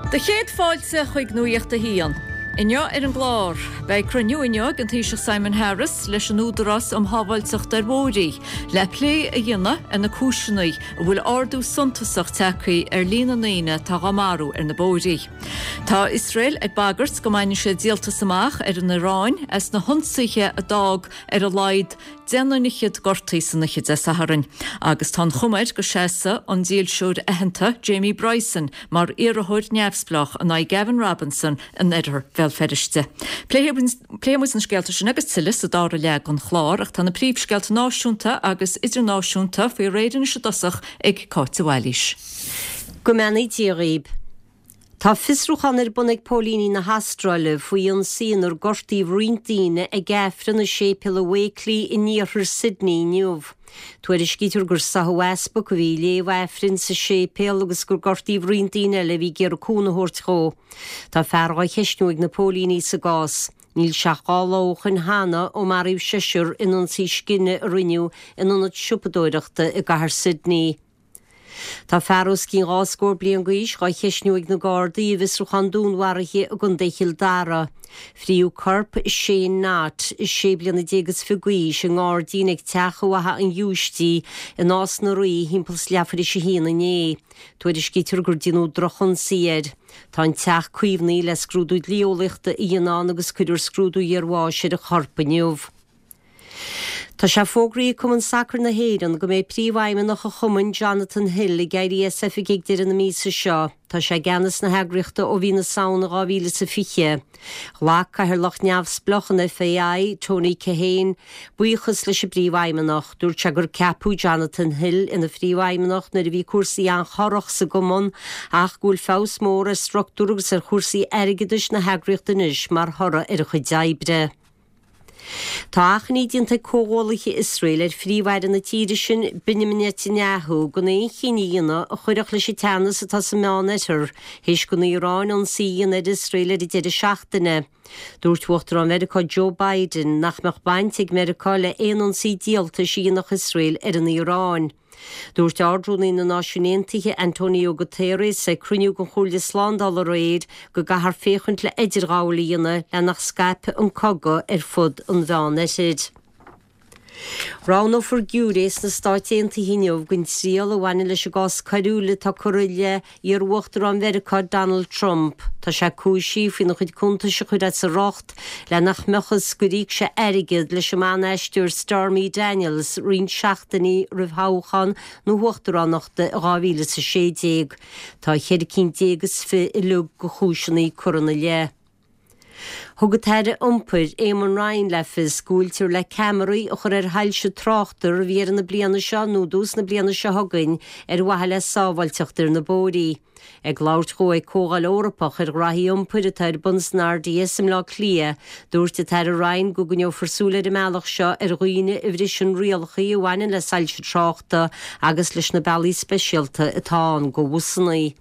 Do chéad fáilte chuig Nuacht a hAon. Inniu ar an gclár, beidh cruinniú inniu ag an Taoiseach Simon Harris leis an Údarás um Shábháilteacht ar Bhóithre le plé a dhéanamh ar na cúiseanna a bhfuil ardú suntasach tagtha ar líon na ndaoine atá á marú ar na bóithre. Tá Iosrael ag bagairt go mbainfidh siad díoltas amach ar an Iaráin as na hionsaithe a d'fhág ar a laghad deichniúr fhichead gortaithe san oíche Dé Sathairn agus tá an chuma air go seasfaidh an dílseoir aitheanta Jamie Bryson mar iarrthóir neamhspleách in aghaidh Gavin Robinson in oirthear Bhéal Feirste. Pléifidh muid na scéalta sin agus tuilleadh sa dara leath den chlár ach tá na príomhscéalta náisiúnta agus idirnáisiúnta faoi réir anois i dtosach ag Cáit de Bhailís. Go mbeannaí Dia dhaoib. Tá fiosrúchán ar bun ag póilíní na hAstráile faoi ionsaí inar gortaíodh roinnt daoine ag Aifreann i séipéal i Wakeley in iarthar Sydney inniu. Tuairiscítear gur sáthadh easpag a bhí ag léamh Aifrinn sa séipéal agus gur gortaíodh roinnt daoine eile a bhí ag iarraidh cúnamh a thabhairt dhó. Tá fear á cheistniú ag na póilíní sa gcás. Níl sé ach 2 lá ó shoin cheana ó maraíodh seisear in ionsaí scine a rinneadh in ionad siopadóireachta i gcathair Sydney. Tá fear os cionn 2 scór bliain d'aois dhá cheistniú ag na Gardaí i bhfiosrúchán dúnmharaithe i gContae Chill Dara. Fríodh corp Shane Knott, 16 bliana is fiche d'aois, i ngairdín ag teach i bhFaiche an Ghiúistí i Nás na Rí thimpeall is leathuair théis a haon inné. Tuairiscítear gur déanadh drochionsaí air. Tá an teach caomhnaithe le scrúdú dlí-eolaíochta a dhéanamh ann agus cuirfear scrúdú iarbháis ar an chorp inniu. Tá sé fógraithe ag Cumann Sacair na hÉireann go mbeidh príomhfheidhmeannach an chumainn, Jonathan Hill, ag éirí as oifig ag deireadh na míosa seo. Tá sé i gceannas na heagraíochta ó mhí na Samhna 2020. Ghlac cathaoirleach neamhspleách an FAI, Tony Keohane, buíochas leis an bpríomhfheidhmeannach. Dúirt sé gur ceapadh Jonathan Hill ina phríomhfheidhmeannach nuair a bhí cúrsaí an-chorrach sa gcumann ach go bhfuil feabhas mór ar struchtúr agus ar chúrsaí airgeadais na heagraíochta anois mar thoradh ar a chuid oibre. Tá achainí déanta ag comhghuallaithe Iosrael ar Phríomh-Aire na tíre sin, Benjamin Netanyahu, gan aon chinneadh a dhéanamh a chuirfeadh leis an teannas atá sa Meánoirthear, théis don Iaráin ionsaí a dhéanamh ar Iosrael ar an deireadh seachtaine. Dúirt Uachtarán Mheiriceá Joe Biden nach mbeadh baint ag Meiriceá le haon ionsaí díoltais a dhéanfadh Iosrael ar an Iaráin. Dúirt Ard-Rúnaí na Náisiún Aontaithe Antonio Guterres ag cruinniú den Chomhairle Slándála aréir go gcaithfear féachaint le idirghabháil a dhéanamh le nach scaipfeadh an cogadh ar fud an Mheánoirthir. Roghnófar giúiré sna Stáit Aontaithe inniu don triail a bhaineann leis an gcás coiriúil atá curtha i leith iar-uachtarán Mheiriceá Donald Trump. Tá sé cúisithe faoina chuid cuntais a chur as a riocht le nach mbeadh fhios gur íoc sé airgead leis an mban-aisteoir Stormy Daniels roinnt seachtainí roimh thoghchán na huachtaránachta i 2016. Tá 14 cinn is fiche uilig de chúiseanna curtha ina leith. Thug an tAire Iompair, Eamon Ryan le fios go bhfuiltear le ceamaraí a chur ar shoilse tráchta roimh dheireadh na bliana seo nó dtús na bliana seo chugainn ar mhaithe le sábháilteacht ar na bóithrí. Ag labhairt dhó ag Comhdháil Eorpach ar ghraithí iompair atá ar bun san RDS i mBleá Cliath, dúirt an tAire Ryan go gcoinneofar súil ar an mbealach seo ar dhaoine a bhriseann rialacha a bhaineann le soilse tráchta agus leis na bealaí speisialta atá ann do bhusanna.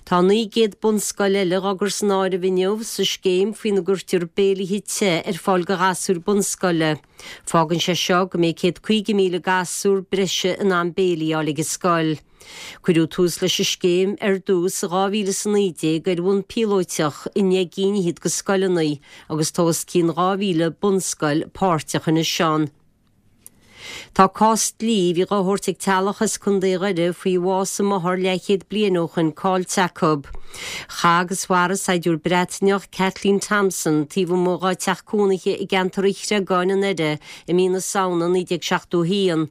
Tá 900 bunscoil eile dhá gcur san áireamh inniu sa scéim faoina gcuirtear béilithe te ar fáil do ghasúir bunscoile. Fágann sé seo go mbeidh 150,000 gasúr breise in ann béilí a fháil ag an scoil. Cuireadh tús leis an scéim ar dtús i 2019 ar bhonn píolóiteach i ndeich gcinn fhichead de scoileanna agus tá os cionn 2,000 bunscoil páirteach anois ann. Tá cás dlí a bhí dhá thabhairt ag teaghlach as Contae Dhoire faoi bhás a máthar leathchéad bliain ó shoin caillte acu. Chaith agus mharaigh saighdiúir Breataineach, Kathleen Thompson, taobh amuigh dhá teach cónaithe i gceantar an Chreagáin i nDoire i mí na Samhna 1971.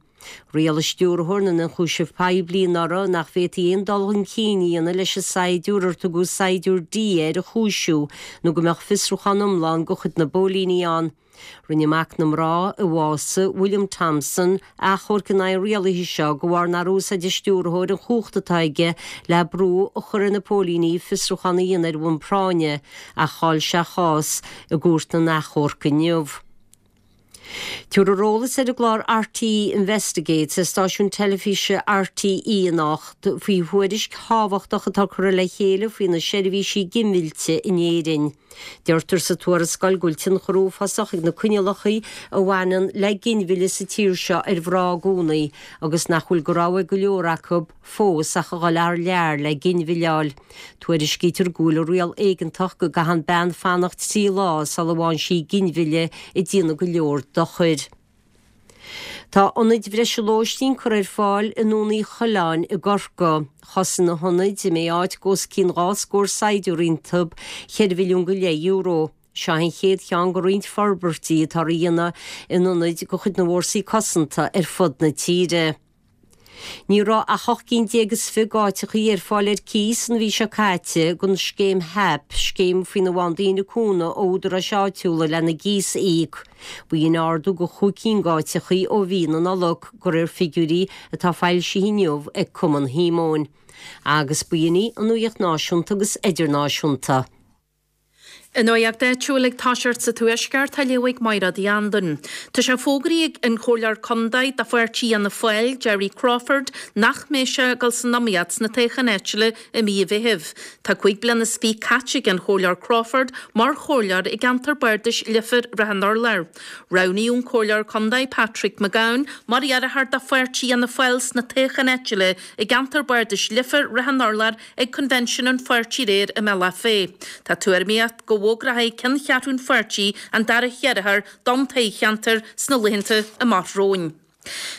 Rialaigh Stiúrthóir na nIonchúiseamh Poiblí anuraidh nach bhféadfaí aon dul chun cinn a dhéanamh leis an saighdiúir ar tugadh Saighdiúir D air a chúisiú nó go mbeadh fiosrúchán iomlán de chuid na bpóilíní ann. Rinne mac na mná a bhásaigh, William Thompson, achomharc in aghaidh an rialaithe seo de bharr nár úsáid an stiúrthóir an chumhacht atá aige le brú a chur ar na póilíní fiosrúchán a dhéanamh ar bhonn práinne, ach chaill sé a chás i gcúirt na n-achomharc inniu. Tabharfar eolas ar an gclár RTÉ Investigates ar stáisiún teilifíse RTÉ anocht faoi thuairisc thábhachtach atá curtha le chéile faoi na seirbhísí ginmhillte in Éirinn. Deirtear sa tuarascáil go bhfuil tionchar uafásach ag na coinníollacha a bhaineann le ginmhilleadh sa tír seo ar mhná i gcónaí agus nach bhfuil de rogha ag go leor acu fós ach a dhul thar lear le ginmhilleadh a fháil. Tuairiscítear go bhfuil an riail éigeantach go gcaitheann bean fanacht 3 lá sula bhfaigheann sí ginmhilleadh ag déanamh go leor dochair. Tá ionaid bhreise lóistín curtha ar fáil i nDún Uí Choileáin i gCorcaigh. Chosain na hionaid, a mbeidh áit d'os cionn 2 scór saighdiúir iontu, cheithre mhilliún go leith euro. Seo an chéad cheann de roinnt forbairtí atá á dhéanamh in ionaid de chuid na bhFórsaí Cosanta ar fud na tíre. Ní raibh ach 18 gcinn is 20 d'áiteachaí ar fáil ar cíos an mhí seo caite don scéim HAP, scéim faoina bhfaigheann daoine cúnamh ó údaráis áitiúla lena gcíos a íoc. B'in ardú de chúig cinn d'áiteachaí ó mhí na Nollag, de réir figiúirí atá foilsithe inniu ag Cumann Shíomóin. Agus b'in í an nuaíocht náisiúnta agus idirnáisiúnta. An nuacht áitiúil ag toiseacht sa Tuaisceart á léamh ag Mairéad Uí Anluain. Tá sé fógraithe ag an Chomhairleoir Contae do Pháirtí Fhianna Fáil, Gerry Crawford, nach mbeidh sé ag dul san iomaíocht sna toghcháin áitiúla i mí an Mheithimh. Tá 25 bliana caite ag an Chomhairleoir Crawford mar chomhairleoir i gceantar bardais Leifear Ráth an Urláir. Roghnaíodh an Comhairleoir Contae Patrick McGowan mar iarrthóir do Pháirtí Fhianna Fáil sna toghcháin áitiúla i gceantar bardais Leifear Ráth an Urláir ag Convention an pháirtí aréir i mBealach Féich. Tá tuairimíocht go bhfógróidh ceanncheathrú an pháirtí an dara hiarrthóir don toghcheantar sna laethanta amach romhainn.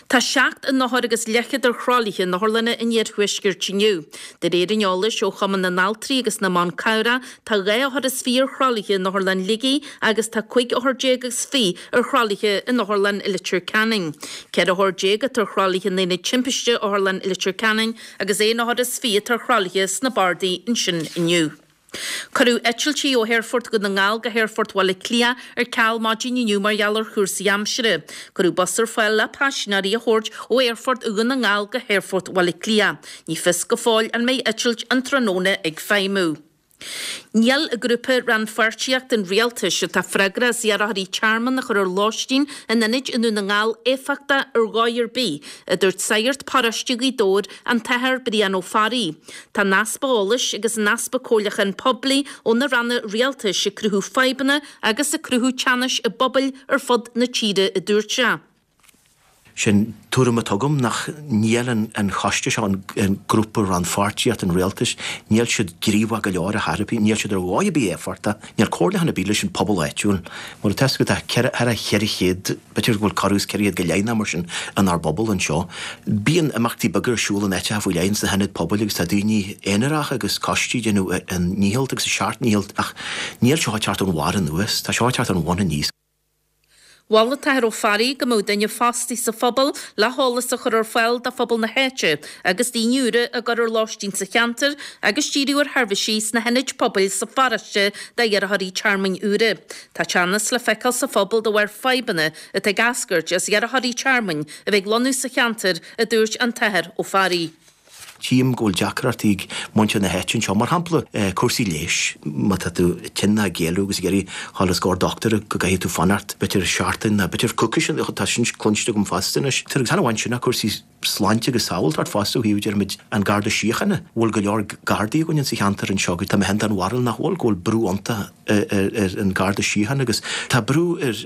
Tá 7 n-othar agus leathchéad ar thralaithe in otharlanna an iarthuaiscirt inniu. De réir an eolais ó Chumann na nAltraí agus na mBan Cabhrach, tá 22 othar ar thralaithe in Otharlann Shligigh agus tá 15 othar agus 20 ar thralaithe in Otharlann Leitir Ceanainn. 14 othar atá ar thralaithe in Aonad Timpiste Otharlann Leitir Ceanainn agus aon othar is 20 atá ar thralaithe sna bardaí ansin inniu. Cuireadh eitiltí ó Aerfort Dhún na nGall go hAerfort Bhaile Átha Cliath ar ceal maidin inniu mar gheall ar chúrsaí aimsire. Cuireadh bus ar fáil le paisinéirí a thabhairt ó Aerfort Dhún na nGall go hAerfort Bhaile Átha Cliath. Ní fios go fóill an mbeidh eitilt an tráthnóna ag feidhmiú. Níl Grúpa Rannpháirtíocht an Rialtais, atá freagrach as iarrthóirí tearmainn a chur ar lóistín in ionaid i nDún na nGall, éifeachtach ar dhóigh ar bith, a dúirt sagart paróiste Ghaoth Dobhair, an tAthair Brian Ó Fearraigh. Tá an easpa eolais agus an easpa comhairliúchán poiblí ó na ranna rialtais ag cruthú fadhbanna agus ag cruthú teannais i bpobail ar fud na tíre, a dúirt sé. Sin tuairim atá agam, nach níl an choiste seo, an grúpa rannpháirtíocht an rialtais, níl siad gníomhach go leor ar chor ar bith, níl siad ar dhóigh ar bith éifeachtach, níl comhairliúchán ar bith leis an pobal áitiúil. Mar atá fhios agat, tá thar 400, b'fhéidir go bhfuil corradh is 400 go leith nó mar sin inár bpobal anseo. Bíonn imeachtaí beaga ar siúl in áiteacha faoi leith, ins na hionaid pobail agus tá daoine aonaracha agus coistí ag déanamh a ndícheall agus a seacht ndícheall ach níl seo ag teacht ón bharr anuas, tá seo ag teacht ón bhun aníos. Mhol an tAthair Ó Fearraigh go mbeadh duine fostaithe sa phobal le heolas a chur ar fáil do phobal na háite agus daoine úra a gcur ar lóistín sa cheantar agus díriú ar sheirbhísí sna hionaid pobail sa pharóiste d'iarrthóirí tearmainn úra. Tá teannas le feiceáil sa phobal de bharr fadhbanna atá ag eascairt as iarrthóirí tearmainn a bheith ag lonnú sa cheantar, a dúirt an tAthair Ó Fearraigh. Tchím go bhfuil deacrachtaí ag muintir na háite anseo, mar shampla cúrsaí leighis, má tá tú tinn nó ag éalú agus ag iarraidh dhul os comhair dochtúra go gcaithfidh tú fanacht b'fhéidir seachtain nó b'fhéidir coicís, tá sin cluinste agam fosta anois. Agus chan amháin sin ach cúrsaí sláinte agus sábháilteacht fosta ó thaobh, déarfaimid, an Garda Síochána, bhfuil go leor Gardaí againn insa cheantar anseo, tá mé féin den bharúil nach bhfuil, go bhfuil brú iontach ar an Garda Síochána agus tá brú ar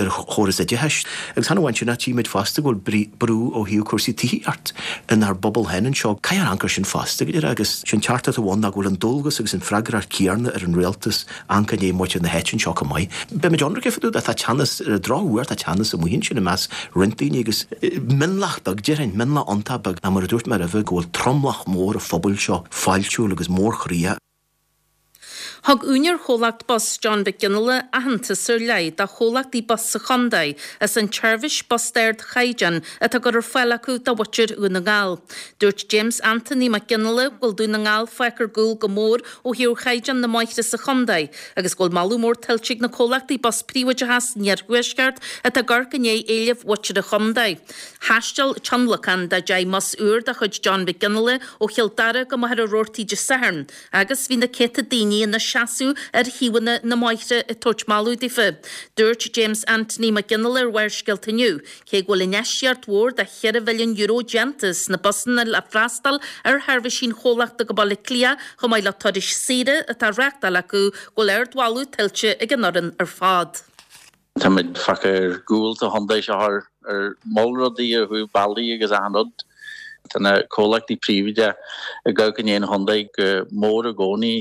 chóras oideachais agus chan amháin sin ach tchímid fosta go bhfuil brú ó thaobh cúrsaí tithíocht inár bpobal féin anseo. Caithfear amharc air sin fosta go deimhin agus sin teachtaireacht amháin ná go bhfuil an dualgas agus an freagracht chéanna ar an rialtas amharc i ndiaidh muintir na háite anseo chomh maith. Beimid ionraic fá dtaobh de, tá teannas, ar an drochuair tá teannas amuigh ansin i measc roinnt daoine agus mionlach beag déarfainn, mionlach iontach beag ná mar a dúirt mé roimhe go bhfuil tromlach mór an phobail seo fáiltiúil agus mórchroíoch. Thug úinéir chomhlacht bus John Mhic Fhionnghaile aitheantas ar leith do chomhlachtaí bus sa chontae as an tseirbhís bus d'ardchaighdeán atá á cur ar fáil acu do mhuintir Dhún na nGall. Dúirt James Anthony Mac Fhionnghaile go bhfuil Dún na nGall fágtha ar gcúl go mór ó thaobh chaighdeán na mbóithre sa chontae agus go bhfuil moladh mór tuillte ag na comhlachtaí bus príobháideacha san iarthuaisceart atá ag amharc i ndiaidh éilimh mhuintir an chontae. Thaistil tionlacan de 10 mbus úr de chuid John Mhic Fhionnghaile ó Chill Dara go Machaire Rabhartaigh Dé Sathairn agus bhí na céadta daoine ina. seasamh ar thaobhanna na mbóithre ag tabhairt moladh daofa. Dúirt James Anthony Mac Fhionnghaile ar Bharrscéalta inniu, cé go bhfuil infheistíocht mhór de cheithre mhilliún euro déanta sna busanna le freastal ar sheirbhísí an chomhlachta go Baile Átha Cliath chomh maith le turais saoire atá á reáchtáil acu, go bhfuil ardmholadh tuillte ag an fhoireann ar fad. Táimid fágtha ar gcúl sa chontae seo ar moll rudaí ó thaobh bealaí agus achan rud. Tá na comhlachtaí príobháideacha ag gabháil i ndiaidh an chontae go mór i gcónaí,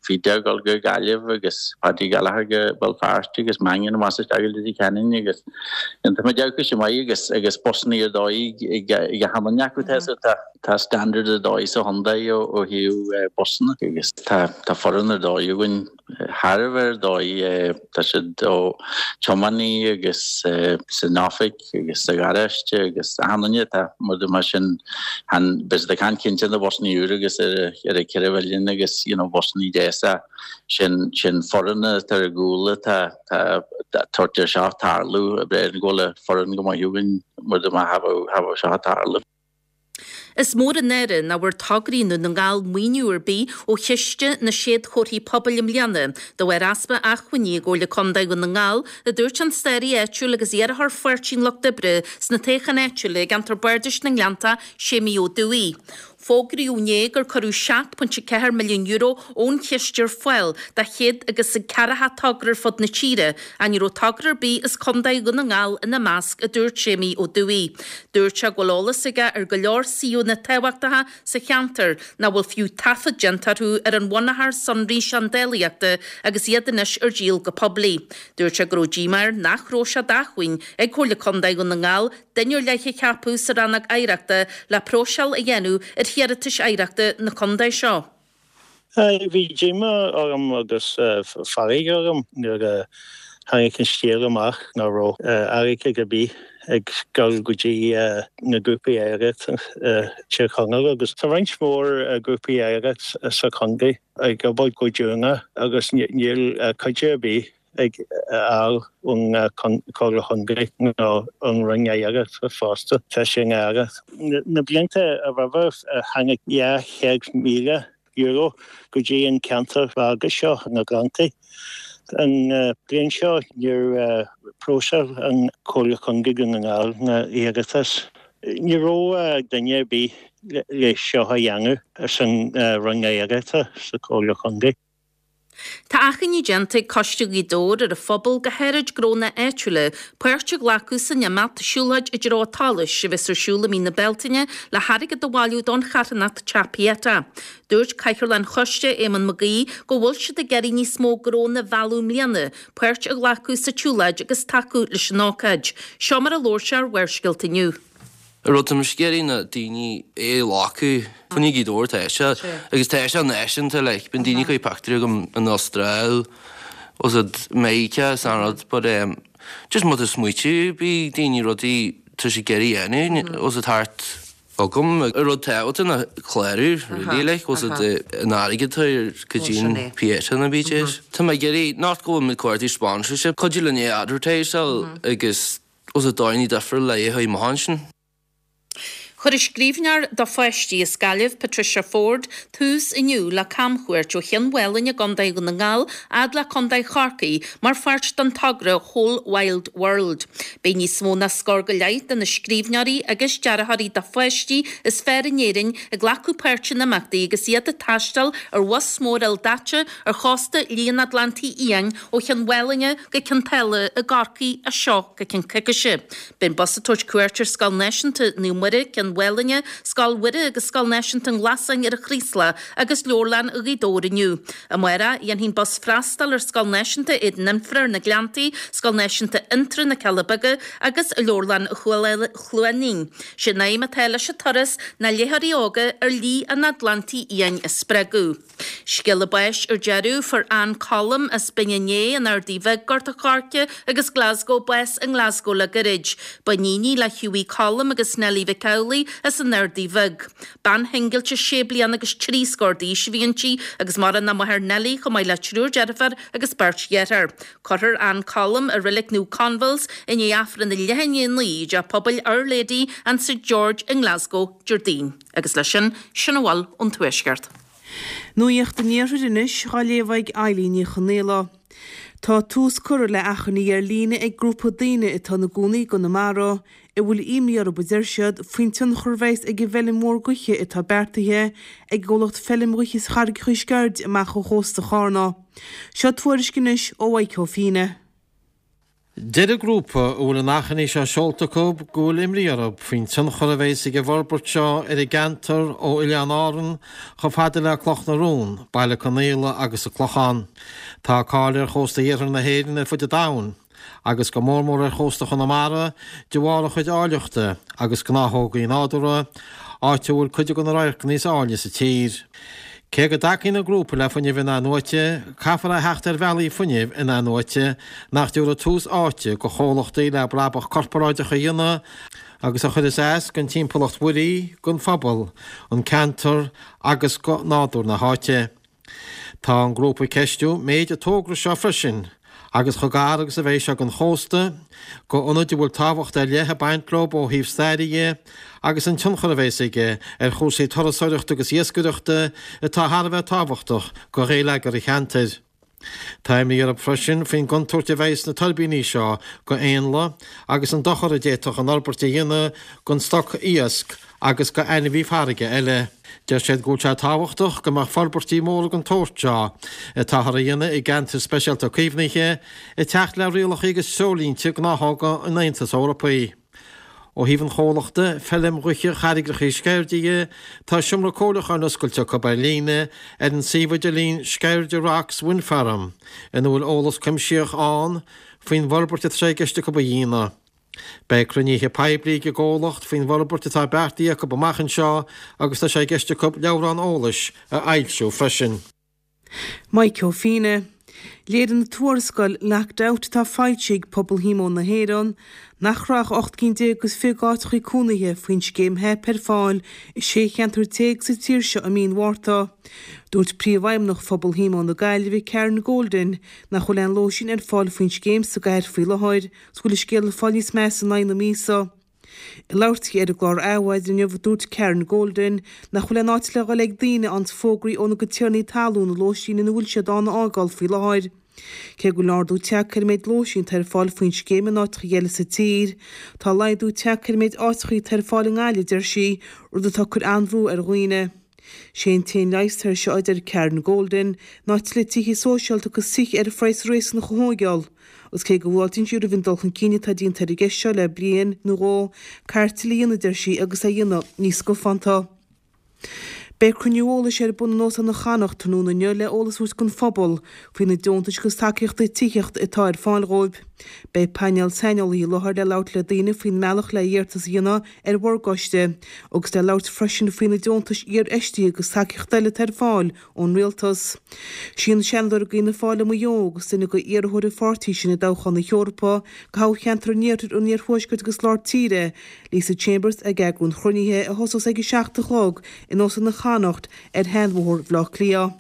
Feda ag dul go Gaillimh agus Paddy Gallagher go Béal Feirste agus Mannion amach is isteach go Leitir Ceanainn agus táimid ag fáil maith agus agus busannaí ar dóigh ag achan duine acu. Tá tá standard ar dóigh sa chontae ó thaobh busanna agus tá tá foireann ar dóigh againn. Thar a bheith ar dóigh. Tá siad ó tiománaí agus san oifig agus sa gharáiste agus achan duine atá mar sin chan beidh siad ag caint cinnte ar na busannaí úr agus ar ar an 4 mhilliún agus you know busannaí deasa sin sin foireann atá ar gcúl atá tá tabhairt ar seo tarlú abair go bhfuil foireann go maith againn mar cha bheadh seo ag tarlú. Is mór an náire nach bhfuair tograí i nDún na nGall maoiniú ar bith ó Chiste na Séadchomharthaí Pobail i mbliana de bharr easpa acmhainní i gComhairle Contae Dhún na nGall, a dúirt an staraí áitiúil agus iarrthóir Pháirtí an Lucht Oibre sna toghcháin áitiúla i gceantar Bardais na nGleanntach, Séimí Ó Dubhthaigh. Fógraíodh inné gur cuireadh €7.4 milliún ón chiste ar fáil do chéad agus a ceathracha togra ar fud na tíre, ach ní raibh togra ar bith as Contae Dhún na nGall ina measc, a dúirt Séimí Ó Dubhthaigh. Dúirt sé go bhfuil eolas aige ar go leor suíomhanna tábhachtacha sa cheantar nach bhfuil fiú taifead déanta orthu ar an bhunachar sonraí seandálaíochta agus iad anois ar díol go poiblí. Dúirt sé go raibh díomá air nach raibh sé d'acmhainn ag Comhairle Contae Dhún na nGall duine ar leith a cheapadh sa Rannóg Oidhreachta le próiseáil a dhéanamh ar hiarratais oidhreachta na contae seo. Bhí díomá orm agus fearg orm nuair a tháinig an scéal amach nach raibh airgead ar bith ag dul go dtí na grúpaí oidhreachta i Tír Chonaill agus tá roinnt mhór grúpaí oidhreachta sa chontae ag obair go deonach agus níl cuidiú ar bith ag fháil ón Chomhairle Chontae nó ón Roinn Oidhreachta fosta. Tá sé náireach. Na blianta roimhe tháinig €200,000 go dtí an ceantar beag seo, na Gleanntaí. An bhliain seo níor phróiseáil an Chomhairle Chontae Dhún na nGall na hiarratais. Ní raibh duine ar bith le seo a dhéanamh san Roinn Oidhreachta sa Chomhairle Chontae. Tá achainí déanta ag Coiste Ghaoth Dobhair ar an phobal, go háirid gnónna áitiúla, páirt a ghlacadh san imeacht Siúlóid i dTreo an tSolais a bheas ar siúl i mí na Bealtaine le hairgead a bhailiú don charthanacht Teach Pieta. Dúirt Cathaoirleach an Choiste, Éamonn Mac Aoidh, go bhfuil siad ag iarraidh níos mó gnónna a mhealladh i mbliana páirt a ghlacadh sa tsiúlóid agus tacú leis an ócáid. Seo mar a labhair sé ar Bharrscéalta inniu. An rud tá mise ag iarraidh ná daoine é a ghlacadh, fá choinne Gaoth Dobhair tá sé agus tá sé náisiúnta like bíonn daoine ag cur pictiúirí agam in Astráil was it Meiriceá is an rud but um, just má tá smaoitiú ar bith ag daoine rudaí tá siad ag iarraidh a dhéanamh was it thart agam an rud tábhachtach ná clárú really like was it an airgead atá ar go dtí an Pieta na BJs. Tá mé ag iarraidh not go bhfuil mé ag cuartú sponsorship cuidiú linn é advertise-áil agus Os a daoine difriúil le é chuig mo ansin. Chuir an scríbhneoir do pháistí as Gaillimh, Patricia Forde, tús inniu le camchuairt ó Chionn Mhálanna i gContae Dhún na nGall fhad le Contae Chorcaí mar pháirt den togra Whole Wild World. Beidh níos mó ná scór go leith de na scríbhneoirí agus dearthóirí do pháistí is fearr in Éirinn ag glacadh páirte in imeachtaí agus iad ag taisteal ar bhus mór ildaite ar chósta Liath an Atlantaigh Fhiáin ó Chionn Mhálanna go Cionn tSáile i gCorcaigh as seo go ceann coicíse. Beidh an bus ag tabhairt cuairt ar Scoil Náisiúnta Naomh Muire, Cionn Mhálanna, Scoil Mhuire agus Scoil Náisiúnta an Ghlasáin ar an Chraoslach agus Leabharlann Ghaoth Dobhair inniu. Amárach, dhéanfaidh an bus freastal ar Scoil Náisiúnta Éadan Fhionnfhra ar na Gleanntaí, Scoil Náisiúnta Fhionntrá, na Cealla Beaga agus Leabharlann Chluainín. Sé an aidhm atá leis an turas ná léitheoirí óga ar Shlí an Atlantaigh Fhiáin a spreagadh. Scéala báis ar deireadh, fuair Ann Colum as Binn an Fhéich, an Ardaidh Bhig, Gort a' Choirce agus Glasgow bás i nGlasgow le gairid. Ba iníon í le Hughie Colum agus Nellie Mhic Amhlaigh as an Ardaidh Bheag. Bean shingilte sé bliana agus trí scór d'aois a bhí inti agus maireann a máthair Nellie chomh maith le triúr deirfiúr agus beirt dheartháir. Cuirfear Ann Colum i Reilig Naomh Conville's i ndiaidh Aifreann a leath i ndiaidh a 9 i dTeach Pobail Our Lady and St George i nGlasgow Déardaoin. Agus leis sin, sin a bhfuil ón Tuaisceart. Nuacht an Iarthair anois á léamh ag Eilín Ní Chonaola. Tá tús curtha le achainí ar líne ag grúpa daoine atá ina gcónaí i gConamara, a bhfuil imní orthu, a deir siad, faoin tionchar a bheas ag an bhfeilm mhór gaoithe atá beartaithe ag an gcomhlacht Feilm Ghaoithe Charraigeacha Sceirde amach ó chósta Chárna. Seo tuairisc anois ó Mhaidhc Ó Fianna. Deir an grúpa a bhfuil an achainí seo seolta acu go bhfuil imní orthu faoin tionchar a bheas ag an bhforbairt seo ar an gceantar ó Oileáin Árann chomh fada le Cloch na Rón, Baile Conaola agus an Clochán. Tá cáil ar chósta iarthar na hÉireann ar fud an domhain, agus go mór mór ar chósta Chonamara, de bharr a chuid áilleachta agus gnáthógaí nádúrtha, áit a bhfuil cuid de na radharcanna is áille sa tír. Cé go dtacaíonn an grúpa le fuinneamh in-athnuaite, caithfear a theacht ar bhealaí fuinnimh in-athnuaite nach dtabharfaidh tús áite go chomhlachtaí le brabach corparáideach a dhéanamh agus a chuirfeas as don timpeallacht mhuirí, don phobal, an ceantar agus go nádúr na háite. Tá an grúpa ag ceistiú méid an togra seo freisin. agus chomh gar agus a bheidh sé don chósta, go ionaid a bhfuil tábhacht ar leith ag baint leo ó thaobh staire dhe, agus an tionchar a bheas aige ar chúrsaí turasóireachta agus iascaireachta atá thar a bheith tábhachtach go gheilleagar an cheantair. Tá imní orthu freisin faoin gcontúirt a bheidh sna tuirbíní seo go éanlaith agus an dochar a d'fhéadfadh an fhorbairt a dhéanamh don stoc iasc agus go ainmhí farraige eile. Deir siad go bhfuil sé tábhachtach go mbeadh forbairtí móra den tsórt seo, atáthar a dhéanamh i gceantair speisialta caomhnaithe, ag teacht le rialacha agus treoirlínte gnáthóga an Aontais Eorpaigh. Ó thaobh an chomhlachta, Feilm Ghaoithe Charraigreacha Sceirde dhe, tá seomra comhairliúcháin oscailte acu ar líne ar an suíomh idirlín Sceirde Rocks Wind Farm ina bhfuil eolas cuimsitheach ann faoin bhforbairt atá sé i gceist acu a dhéanamh. Beidh cruinnithe poiblí ag an gcomhlacht faoin bhforbairt atá beartaithe acu amach anseo agus tá sé i gceist acu leabhrán eolais a fhoilsiú freisin. Maidhc Ó Fianna. Léirigh an tuarascáil Locked Out atá foilsithe ag Pobal Shíomóin na hÉireann nach raibh ach 18 cinn is 20 d'áiteachaí cónaithe faoin scéim HEP ar fáil i 16 cheantar sa tír seo i mí an Mhárta. Dúirt Príomhfheidhmeannach Phobal Shíomóin na Gaillimhe, Karen Golden, nach bhfuil aon lóistín ar fáil faoin scéim sa gcathair faoi láthair. 's go bhfuil an scéal ag fáil níos measa in aghaidh na míosa. Ag labhairt di ar an gclár Adhmhaidin inniu, dúirt Karen Golden nach bhfuil aon áit le dhul ag daoine a fhaigheanns fógraí óna gcuid tiarnaí talún na lóistín ina bhfuil siad ann a fhágáil faoi láthair. Cé go bhfuil ardú tagtha ar an méid lóistín atá ar fáil faoin scéim in áiteacha eile sa tír, tá laghdú tagtha ar an méid áiteacha atá ar fáil i nGaillimh, a deir sí, rud atá ag cur an-bhrú ar dhaoine. Sé an t-aon leigheas air seo, a deir Karen Golden, ná tuilleadh tithe sóisialta agus tithe ar phraghas réasúnach a thóigeáil. Agus cé go bhfáiltíonn sí roimh an dul chun cinn atá déanta ar an gceist seo le bliain nó dhó, caithfear tuilleadh a dhéanamh, a deir sí, agus é a dhéanamh níos scafánta. Beidh cruinniú eolais ar bun in Óstán Chonnacht tráthnóna inniu le eolas a thabhairt don phobal faoi na deontais agus tacaíochtaí tithíochta atá ar fáil dhóibh. Beidh painéal saineolaithe i láthair le labhairt le daoine faoin mbealach le hiarratas a dhéanamh ar mhorgáiste agus le labhairt freisin faoi na deontais iarfheistithe agus tacaíocht eile atá ar fáil ón Rialtas. Sí an Seanadóir d'Fhianna Fáil i Maigh Eo agus duine de iarrthóirí an pháirtí sin i dtoghchán na hEorpa do thoghcheantar an Iarthair, an Iarthuaiscirt agus Lár Tíre, Lisa Chambers, ag eagrú an chruinnithe a thosós ag a 7 a chlog in Óstán Chonnacht ar Sheanbhóthar Bhaile Átha Cliath.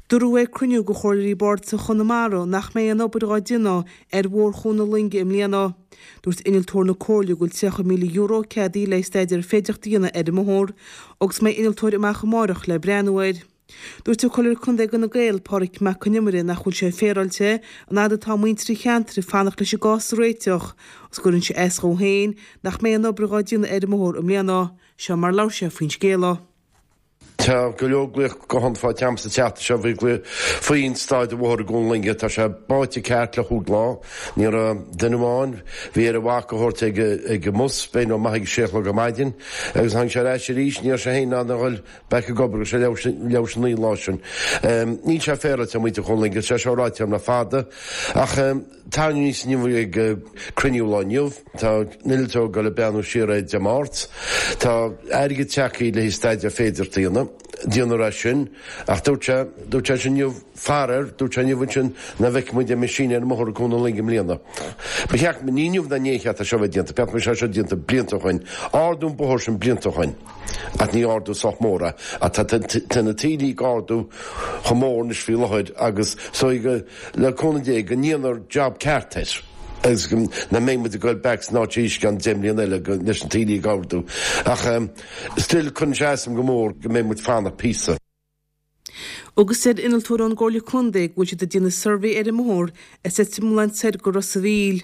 Dúradh ag cruinniú de Chomhairleoirí Bardasach Chonamara nach mbeidh aon obair dhá déanamh ar Bhóthar Chuan na Loinge i mbliana. Dúirt innealtóir na Comhairle go bhfuil €30,000 ceadaithe le staidéar féidearthachta a dhéanamh ar an mbóthar agus go mbeidh innealtóir amach amáireach le breathnú air. Dúirt an Comhairleoir Contae d'Fhine Gael, Pádraig Mac Con Iomaire nach bhfuil sé féaráilte an fhad atá muintir an cheantair ag fanacht leis an gcás a réiteach agus go gcuireann sé as dhó féin nach mbeidh aon obair dhá déanamh ar an mbóthar i mbliana. Seo mar a labhair sé faoin scéal. Tá go leor glaoch guthán faighte agam sa tseachtain seo faoi glaoch faoin staid an bhóthair i gCuan na Loinge. Tá sé báite ceart le chúig lá. Ní raibh duine amháin, bhí air a mhac a thabhairt ag ag an mbus, b'fhéidir nó maith ag a sé a chlog ar maidin agus tháinig sé ar ais arís, ní raibh sé féin in ann a dhul back ag obair go raibh sé leathuair leathuair théis a naoi an lá sin. Níl sé féaráilte ar mhuintir Chuan na Loinge, tá sé seo ráite agam le fada ach tarraingíodh aníos inniu ag cruinniú lá inniu. Tá an t-innealtóir ag dul ag breathnú siar air Dé Máirt. Tá airgead tagtha le haghaidh staidéar féidearthachta a dhéanamh. Déanfar é sin. Ach dúirt sé, dúirt sé sin inniu, faraor, dúirt sé inniu ansin nach bhfeicfidh muid aon machine ar an mbóthar i gCuan na Loinge i mbliana. Ba cheart, ní inniu ná inné a cheart é seo a bheith déanta, ba cheart go mbeadh sé seo déanta blianta ó shoin. Ardú an bóthar sin blianta ó shoin. Ach ní ardú sách mór é. Ach tá, tá na taoillí ag ardú chomh mór anois faoi láthair agus so go, le cúnamh Dé, go ndéanfar job ceart air agus go nach mbeidh muid ag goil back san áit arís i gceann 10 mbliana eile go, leis na taoillí ag ardú. Ach still cuireann sé as dom go mór go mbeidh muid fanacht píosa. Agus deir innealtóir ón gComhairle Contae go bhfuil siad ag déanamh suirbhé ar an mbóthar as Leitir Mealláin soir go Ros a' Mhíl.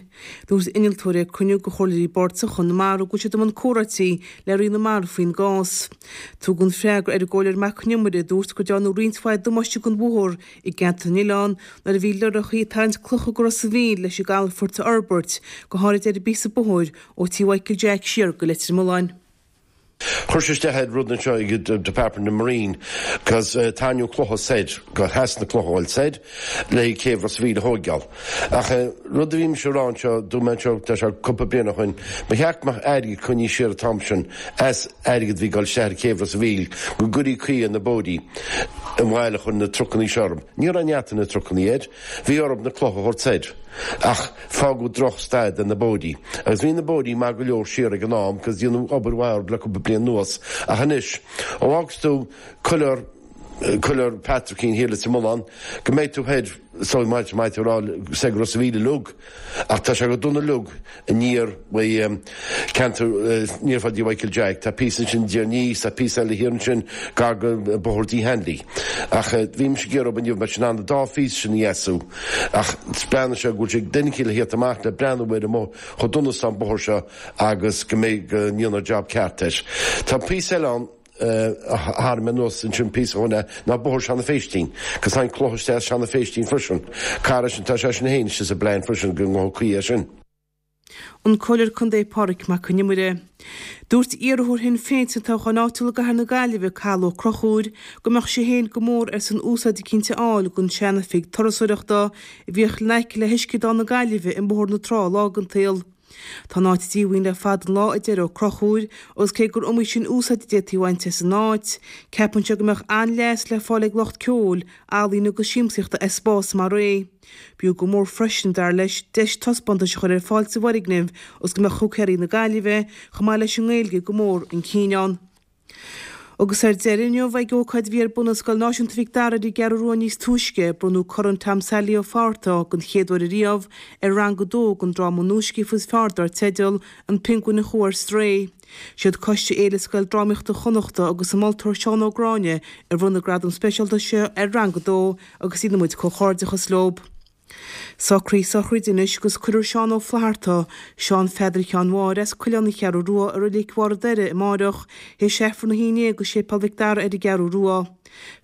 Dúirt innealtóir ag cruinniú de Chomhairleoirí Bardasach Chonamara go bhfuil siad i mbun comhráití le Roinn na Mara faoin gcás. Tugadh an freagra ar an gComhairleoir Mac Con Iomaire a dúirt go dtearnadh roinnt mhaith damáiste don bhóthar i gceantar na n-oileán nuair a bhí lorrachaí ag tarraingt clocha go Ros a' Mhíl leis an gcalafort a fhorbairt, go háirid ar an bpíosa bóthair ó Tí Mhichael Jack siar go Leitir Mealláin. Chuir sé isteach ar rud anseo ag an Department of Marine cos tarraingeadh clocha soir go theas na clocha a fháil soir le céibh Ros a' Mhíl a thóigeáil. Ach rud a bhí mise a rá anseo, dúirt mé anseo, tá sé cúpla bliain ó shoin, ba cheart go mbeadh airgead coinnithe siar an t-am sin as airgead a bhí ag dul isteach ar chéibh Ros a' Mhíl go gcuirí caoi ar na bóithrí an bhail a chuir na trucannaí seo orthu. Ní raibh neart na trucannaí air. Bhí orthu na clocha a thabhairt soir, ach fágadh droch staid ar na bóithrí. Agus bhí na bóithrí maith go leor siar ag an am, cos déanadh obair mhaith orthu le cúpla bliain anuas. Ach anois, ó fhágas tú Coileár, Coileár Patrickín thiar Leitir Mealláin, go mbeidh tú thoir, so maith maith tú a rá, soir go Ros a' Mhíl uilig. Ach tá sé go dona uilig aniar uaidh ceantar, aniar fá dTí Mhichael Jack. Tá píosa ansin diar aníos, tá píosa eile thiar ansin gar go Bóthar D. Hanley. Ach bhí mise ag iarraidh inniu mbeadh siad in ann an dá phíosa sin a dheasú. Ach breathnaigh sé go bhfuil sé ag duine eicínt le thíocht amach le breathnú ar an mbóthar, chomh dona is atá an bóthar seo agus go mbeidh, go ndéanfar job ceart air. Tá píosa eile ann. a tharraing mé anuas ansin píosa ó shin ná Bóthar Seanadh Phéistín, 'cos tháinig cloch isteach as Seanadh Phéistín freisin. Cara sin, tá sé sin féin istigh sa bplean freisin go ngabhfaí caoi air sin. An Comhairleoir Contae Pádraig Mac Con Iomaire. Dúirt iarrthóir Shinn Féin sa toghchán áitiúil i gCathair na Gaillimhe, Cathal Ó Conchúir, go mbeadh sé féin go mór ar son úsáid eicínt a fháil den sean-oifig turasóireachta a bhíodh in aice le hUisceadán na Gaillimhe i mBóthar na Trá lá den tsaol. Tá an áit díomhaoin le fada an lá, a deir Ó Conchúir, agus cé gur iomaí sin úsáid a d'fhéadfaí a bhaint as an áit, ceapann sé go mbeadh an-leas le fáil ag lucht ceoil, ealaíne agus siamsaíochta as spás mar é. B'fhiú go mór freisin, dar leis, deis taispeántais a chur ar fáil sa bhfoirgneamh agus go mbeadh húicéirí na Gaillimhe, chomh maith leis an nGaeilge, go mór chun cinn ann. Agus ar deireadh inniu, ag ócáid a bhí ar bun i Scoil Náisiúnta Mhic Dara ar an gCeathrú Rua níos túisce, bronnadh Corn Tom Sailí Ó Fátharta den chéad uair ariamh ar Rang 2 den dráma nuascríofa is fearr dar teideal 'An Pionguin a Chuaigh ar Strae'. Siad Coiste Fhéile Scoil Drámaíochta Chonnachta agus an moltóir Seán Ó Gráinne a bhronn an gradam speisialta seo ar Rang 2 agus déanann muid comhghairdeachas leo. Socruithe sochraide anois agus cuirfear Seán Ó Flatharta, Seán Pheadair Sheáin Mháire as Coileán na Ceathrú Rua i Reilig Bharr an Doire amáireach théis Aifreann a 11 i Séipéal Mhic Dara ar an gCeathrú Rua.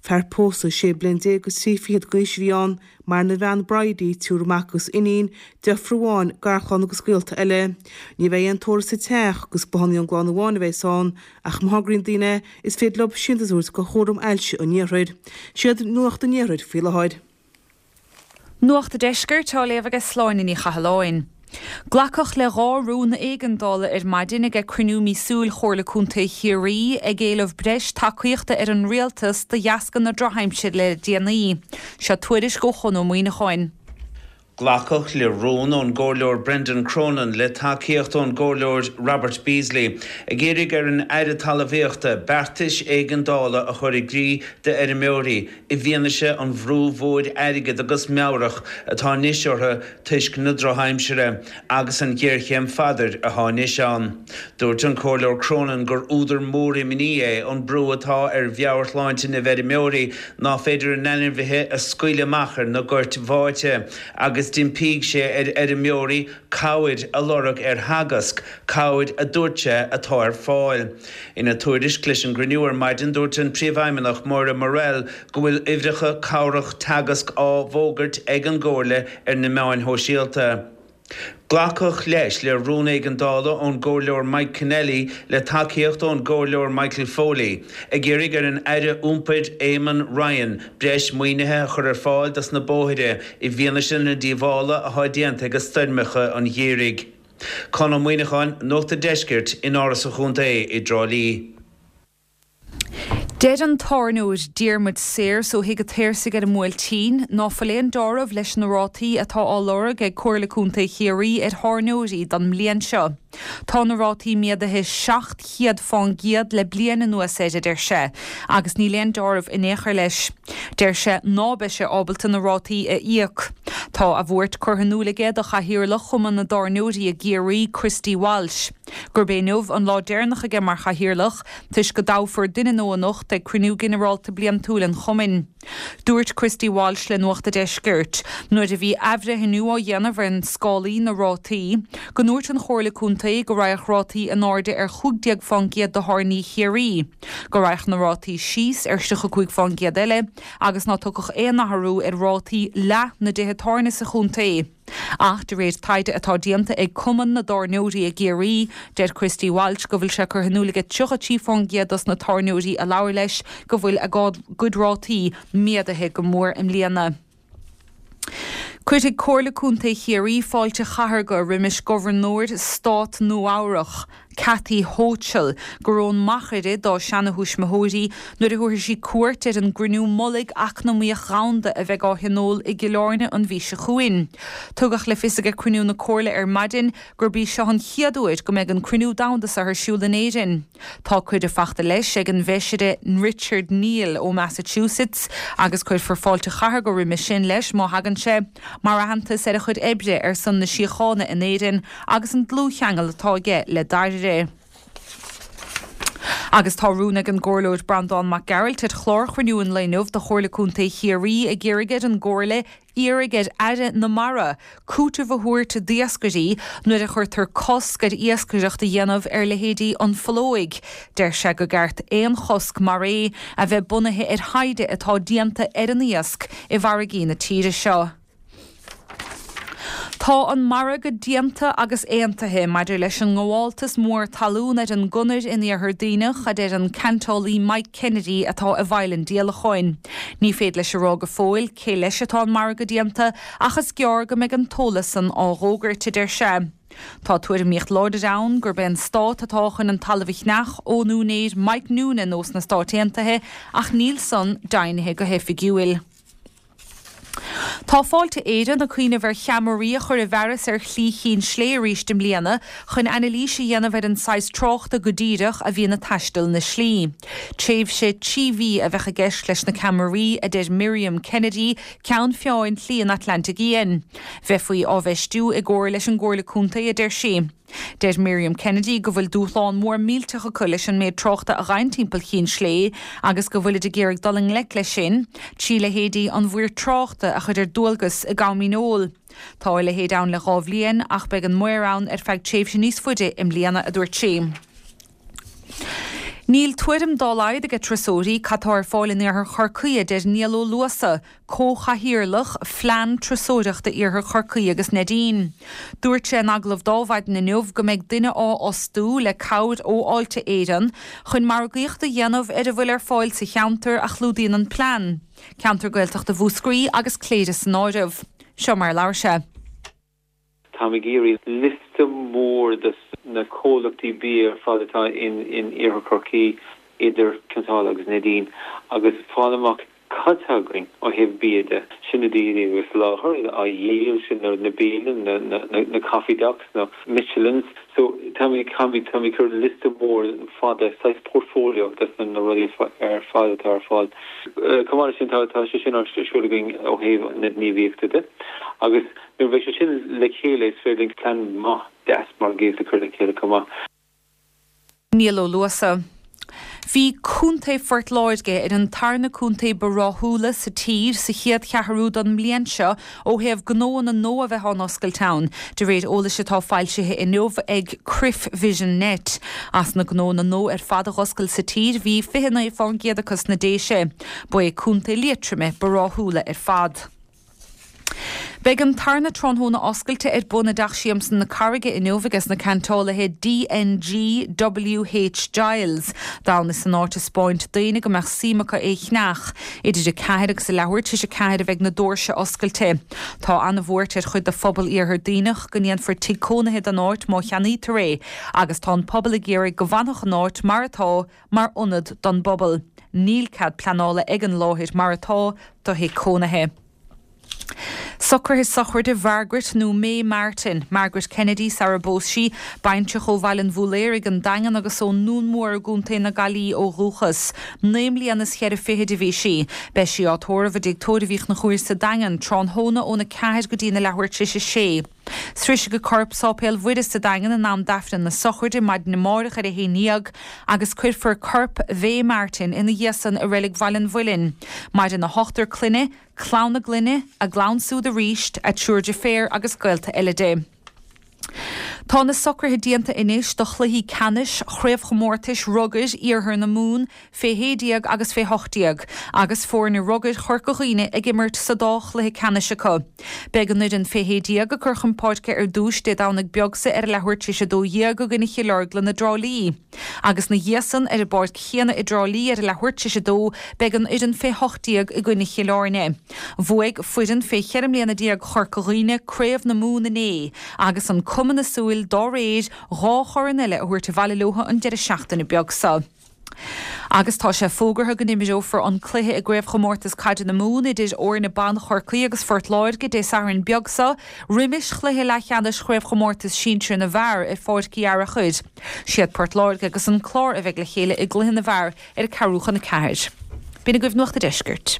Fear pósta 16 bliain agus 23 fichead d'aois a bhí ann, maireann a bhean Bridie, triúr mac agus iníon, deirfiúr amháin, garchlann agus gaolta eile. Ní bheidh aon tórramh sa teach agus bothán ón gclann amháin a bheas ann ach má thograíonn daoine is féidir leo síntiús a thabhairt go Chúram Ailse an Iarthair. Siad Nuacht an Iarthair faoi láthair. Nuacht an Deiscirt á léamh aige Sláine Ní Chathalláin. Glacadh le 2 rún éigeandála ar maidin ag cruinniú míosúil Chomhairle Contae Chiarraí ag éileamh breis tacaíochta ar an Rialtas de dheasca na drochaimsire le déanaí. Seo tuairisc ó Chon Ó Muíneacháin. Glacadh le rún ón gComhairleoir Brendan Cronin le tacaíocht ón gComhairleoir Robert Beasley ag iarraidh ar an Aire Talmhaíochta beartais éigeandála a chur i gcrích d'fheirmeoirí i bhfianaise an bhrú mhóir airgid agus meabhrach atá anois orthu toisc na drochaimsire agus an ghéarchéim phadair atá anois ann. Dúirt an Comhairleoir Cronin gur údar mór imní é an brú atá ar mheabhairshláinte na bhfeirmeoirí ná féidir a n-ainmhithe a scaoileadh amach ar na goirt bháite agus d'impígh sé ar fheirmeoirí cabhair a lorg ar Theagasc, cabhair a dúirt sé atá ar fáil. Ina tuairisc leis an gcruinniú ar maidin dúirt an Príomhfheidhmeannach Moira Murrell go bhfuil uimhreacha cabhrach Teagasc á bhfógairt ag an gComhairle ar na meáin shóisialta. Glacadh leis le rún éigeandála ón gComhairleoir Mike Kennelly le tacaíocht ón gComhairleoir Michael Foley ag iarraidh ar an Aire Iompair Eamon Ryan breis maoinithe a chur ar fáil dos na bóithre i bhfianaise na díobhála atá déanta ag stoirmeacha an gheimhridh. Conn Ó Muíneacháin, Nuacht an Deiscirt, in Áras an Chontae i dTrá Lí. Deir an tábhairneoir Diarmuid Sayers ó Thigh an tSaorsaigh ar an mBuailtín ná fuil aon deáramh leis na rátaí atá á lorg ag Comhairle Contae Chiarraí ar thábhairneoirí don mbliain seo. Tá na rátaí méadaithe 700 fán gcéad le bliain anuas air, a deir sé, agus níl aon deáramh in aon chor leis. Deir sé ná beidh sé ábalta na rátaí a íoc. Tá a bhuairt curtha in iúl aige do Chathaoirleach Chumann na dTábhairneoirí i gCiarraí, Christy Walsh, gurb é inniu an lá deireanach aige mar chathaoirleach toisc go dtoghfar duine nua anocht ag cruinniú ginearálta bliantúil an chumainn. Dúirt Christy Walsh le Nuacht a' Deiscirt, nuair a bhí athbhreithniú á dhéanamh ar scálaí na rátaí, go ndúirt an Chomhairle Contae go raghadh rátaí in airde ar 15 fán gcéad do thábhairní Chiarraí, go raghadh na rátaí síos ar 35 fán gcéad eile agus ná tiocfadh aon athrú ar rátaí leath na dtithe tábhairne sa chontae. Ach de réir taighde atá déanta ag Cumann na dTábhairneoirí i gCiarraí, deir Christy Walsh go bhfuil sé curtha in iúl aige 33 fán gcéad dos na tábhairneoirí a labhair leis go bhfuil a gcuid rátaí méadaithe go mór i mbliana. Cuirfidh Comhairle Contae Chiarraí fáilte chathartha roimis Gobharnóir Stát Nua-Eabhrach, Kathy Hochul, gur ón Machaire dá seanathuismitheoirí nuair a thabharfaidh sí cuairt ar an gCruinniú Mullaigh Eacnamaíoch Dhomhanda a bheidh á thionól i gCill Airne an mhí seo chugainn. Tugadh le fios ag cruinniú na Comhairle ar maidin gurb í seo an chéad uair go mbeidh an cruinniú domhanda seo ar siúl in Éirinn. Tá cuireadh fachta leis ag an bhFeisire Richard Neal ó Massachusetts agus cuirfear fáilte chathartha roimis sin leis má thagann sé, mar aitheantas ar a chuid oibre ar son na síochána in Éirinn agus an dlúthcheangal atá aige le Dáirire. Agus tá rún ag an gComhairleoir Breandán Mac Gearailt ar chlár chruinniú an lae inniu de Chomhairle Contae Chiarraí ag iarraidh ar an gComhairle iarraidh ar Aire na Mara cúiteamh a thabhairt d'iascairí nuair a chuirtear cosc ar iascaireacht a dhéanamh ar leithéidí an pholóig. Deir sé go gceart aon chosc mar é a bheith bunaithe ar thaighde atá déanta ar an iasc i bhfarraigí na tíre seo. Tá an margadh déanta agus aontaithe maidir leis an ngabháltas mór talún ar an gConair in Iarthar Duibhneach, a deir an ceantálaí Mike Kennedy atá i bhfeighil an díolacháin. Ní féidir leis a rá go fóill cé leis atá an margadh déanta ach is gearr go mbeidh an t-eolas san á dh'fhógairt, a deir sé. Tá tuairimíocht láidir ann gurb é an Stát atá chun an talamh a cheannach ón úinéir Mike Noonan ós na Stáit Aontaithe ach níl san deimhnithe go hoifigiúil. Tá Fáilte Éireann ag cuimhneamh ar cheamaraí a chur i bhfearas ar Shlí Chinn Slé arís i mbliana chun anailís a dhéanamh ar an saghas tráchta go díreach a bhíonn ag taisteal na slí. Tréimhse 3 mhí a bheadh i gceist leis na ceamaraí, a deir Miriam Kennedy, ceann feadhain Shlí an Atlantaigh Fhiáin. Bheifí á bhfeistiú i gcomhar leis an gComhairle Contae, a deir sí. Deir Miriam Kennedy go bhfuil dúshlán mór millteach acu leis an méid tráchta a ghabhann timpeall Chinn Slé agus go bhfuilid ag iarraidh dul i ngleic leis sin trí leithéidí an mhaoir tráchta a chur ar dualgas i gcam óil. Tá a leithéid ann le dhá bhliain ach beidh an maor ann ar feadh tréimhse níos faide i mbliana, a dúirt sí. Níl tuairim dá laghad ag turasóirí cad tá ar fáil in iarthar Chorcaí, a deir Niall Ó Luasa, Comhchathaoirleach Phlean Turasóireachta Iarthar Chorcaí agus Neidín. Dúirt sé in agallamh do Adhmhaidin inniu go mbeidh duine á fhostú le cabhair ó Fháilte Éireann chun margaíocht a dhéanamh ar a bhfuil ar fáil sa cheantar a chlúdaíonn an plean, ceantar Gaeltachta Mhúscraí agus Cléire san áireamh. Seo mar a labhair sé. Táim ag iarraidh liosta mór de na comhlachtaí bia ar fad atá in Iarthar Chorcaí, idir Cionn tSáile agus Neidín, agus fáil amach cad tá againn ó thaobh bia de. Sin na daoine a soláthar, á dhíol, sin na bialanna, na coffee docks, na Michelins. So táim ag táim ag cur liosta mór fada, saghas portfolio de na rudaí ar fad atá ar fáil. Chomh maith leis sin tá sé sin ar siúl againn ó thaobh na gníomhaíochta de agus Nuair a bheidh sé sin le chéile is féidir linn plean maith deas margaíochta a chur le chéile chomh maith. Niall Ó Luasa. Bhí Contae Phort Láirge ar an tarna contae ba ráthúla sa tír sa chéad cheathrú don mbliain seo ó thaobh gnóanna nua a bheith á n-oscailt ann, de réir eolais atá foilsithe inniu ag Crif Vision Net. As na gnóanna nua ar fad a dh'oscail sa tír, bhí 29 fán gcéad acu sna Déise. Ba é Contae Liatroma ba ráthúla ar fad. Beidh an tarna tráthnóna oscailte ar bun i dTeach Siamsa na Carraige inniu ages na ceantálaithe DNG WH Giles d'fhonn is an áit a 'spáint d'aoinne go mbeadh suim acu é cheannach. Idir a ceathair agus a leathuair tar éis a ceathair a bheidh na dóirse oscailte. Tá ana-bhuairt ar chuid de phobal Iarthar Duibhneach go ndéanfar tigh cónaithe den áit má cheannaítear é agus tá an pobal ag iarraidh go bhfanfadh an áit mar atá mar ionad don bpobal. Níl cead pleanála ag an láthair mar atá do thigh cónaithe. Socruithe sochraide Mhargaret nó May Martin, Margaret Kennedy sara bpós sí, baintreach ó Bhaile an Bhúiléaraigh, An Daingean agus ón nDún Mór i gContae na Gaillimhe ó dhúchas. 9 mbliana is cheithre fichid a bhí sí. Beidh sí á tórramh i dTigh Tórraimh Uí Chonchúir sa Daingean, tráthnóna óna 4 go dtína leathuair tar éis a sé. Sroisfidh a corp Sáipéal Mhuire sa Daingean in am d'Aifreann na sochraide maidin amárach ar a 11 agus cuirfear corp Mhay Martin ina dhiaidh san i Reilig Bhaile an Mhuilinn. Maireann a hochtar clainne, clann a gclainne, a gclann súd aríst, a triúr deirféar agus gaolta eile di. Tá na socruithe déanta anois do chluichí ceannais chraobhchomórtais rugair Iarthar na Mumhan fé 16 agus fé 18, agus foirne rugair Chorca Dhuibhne ag imirt sa dá chluiche ceannais acu. Beidh an fhoireann fé 16 ag cur chun páirce ar dtúis Dé Domhnaigh beag seo ar a leathuair tar éis 12 i gcoinne Chill Orglan i dTrá Lí. Agus 'na dhiaidh san, ar an bpáirc chéanna i dTrá Lí ar a leathuair tar éis 2, beidh an fhoireann fé 18 i gcoinne Chill Airne. Bhuaigh foireann fé 14 mbliana Chorca Dhuibhne Craobh na Mumhan inné, agus an cuma na súil dá réir, dhá chorn eile a thabhairt abhaile leo an deireadh seachtaine beag seo. Agus tá sé fógartha go n-imreofar an cluiche i gCraobhchomórtas Caide na Mumhan idir fhoirne ban Chorcaí agus Phort Láirge Dé Sathairn beag seo, roimis chluiche leathcheannais Chraobhchomórtas Sinsir na bhFear ar Pháirc Uí Fhearachair. Siad Port Láirge agus an Clár a bheidh le chéile i gcluiche na bhfear ar a ceathrú chun 4. B'in agaibh Nuacht a' Deiscirt.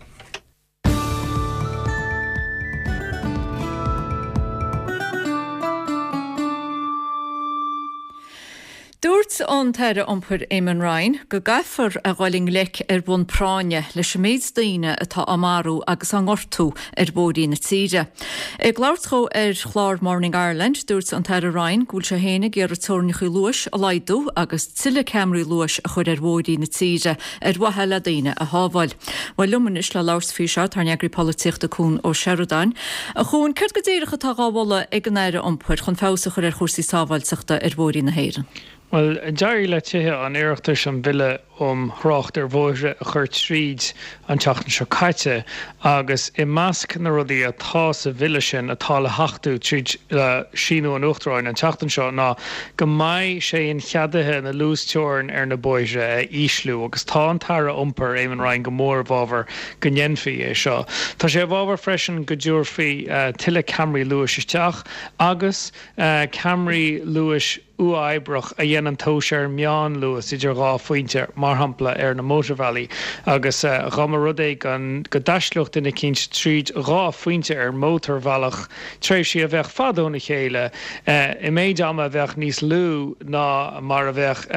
Dúirt an tAire Iompair Eamon Ryan go gcaithfear a dhul i ngleic ar bhonn práinne leis an méid daoine atá á marú agus á ngortú ar bhóithrí na tíre. Ag labhairt dhó ar chlár Morning Ireland, dúirt an tAire Ryan go bhfuil sé féin ag iarraidh teorainneacha luais a laghdú agus tuilleadh ceamaraí luais a chur ar bhóithrí na tíre ar mhaithe le daoine a shábháil. Bhuel, liom anois le labhairt faoi seo tá ár n-eagraí polaitíochta Cuan Ó Seireadáin. A Chuain, céard go díreach atá dhá mholadh ag an Aire Iompair chun feabhas a chur ar chúrsaí sábháilteachta ar bhóithrí na hÉireann? Bhuel, d'éirigh le Tithe an Oireachtais an Bille um Thrácht ar Bhóithre a chur tríd an tseachtain seo caite agus i measc na rudaí atá sa bhille sin atá le hachtú tríd le síniú an Uachtaráin an tseachtain seo ná go mbeidh sé incheadaithe na luasteorainn ar na bóithre a ísliú agus tá an tAire Iompair, Eamon Ryan go mór i bhfabhar go ndéanfaí é seo. Tá sé i bhfabhar freisin go dtabharfaí tuilleadh ceamaraí luais isteach agus ceamaraí luais uathoibreach a dhéanann tomhas ar an meánluas idir dhá phointe, mar shampla ar na mótarbhealaí, agus dá mba rud é go dtaistealódh duine eicínt tríd dhá phointe ar mhótarbhealach, tréimhsí a bheadh fada óna chéile, i méid ama a bheadh níos lú ná mar a bheadh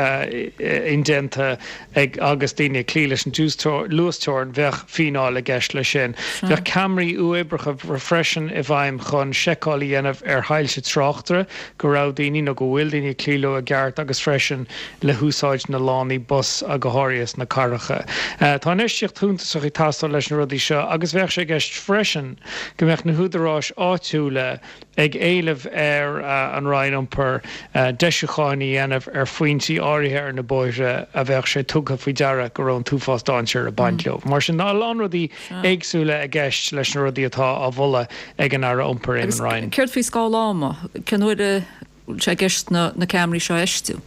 indéanta ag agus daoine ag cloí leis an luasteorainn, bheadh fíneáil i gceist leis sin. Bheadh ceamaraí uathoibreacha freisin i bhfeidhm chun seiceáil a dhéanamh ar shoilse tráchta go raibh daoine nó go bhfuil daoine ag cloí leo i gceart agus freisin le húsáid na lánaí bus go háirithe sna cathracha. Tá infheistíocht shuntasach ag teastáil leis na rudaí seo agus bheadh sé i gceist freisin go mbeadh na húdaráis áitiúla ag éileamh ar an Roinn Iompair deisiúcháin a dhéanamh ar phointí áirithe ar na bóithre a bheadh sé tugtha faoi deara go raibh an t-uafás dainséir ag baint leo. Mar sin, tá a lán rudaí éagsúla i gceist leis na rudaí atá á mholadh ag an Aire Iompair, Eamon Ryan. Agus céard faoi scála ama? Cén uair a bhfuil sé i gceist na ceamaraí seo a fheistiú?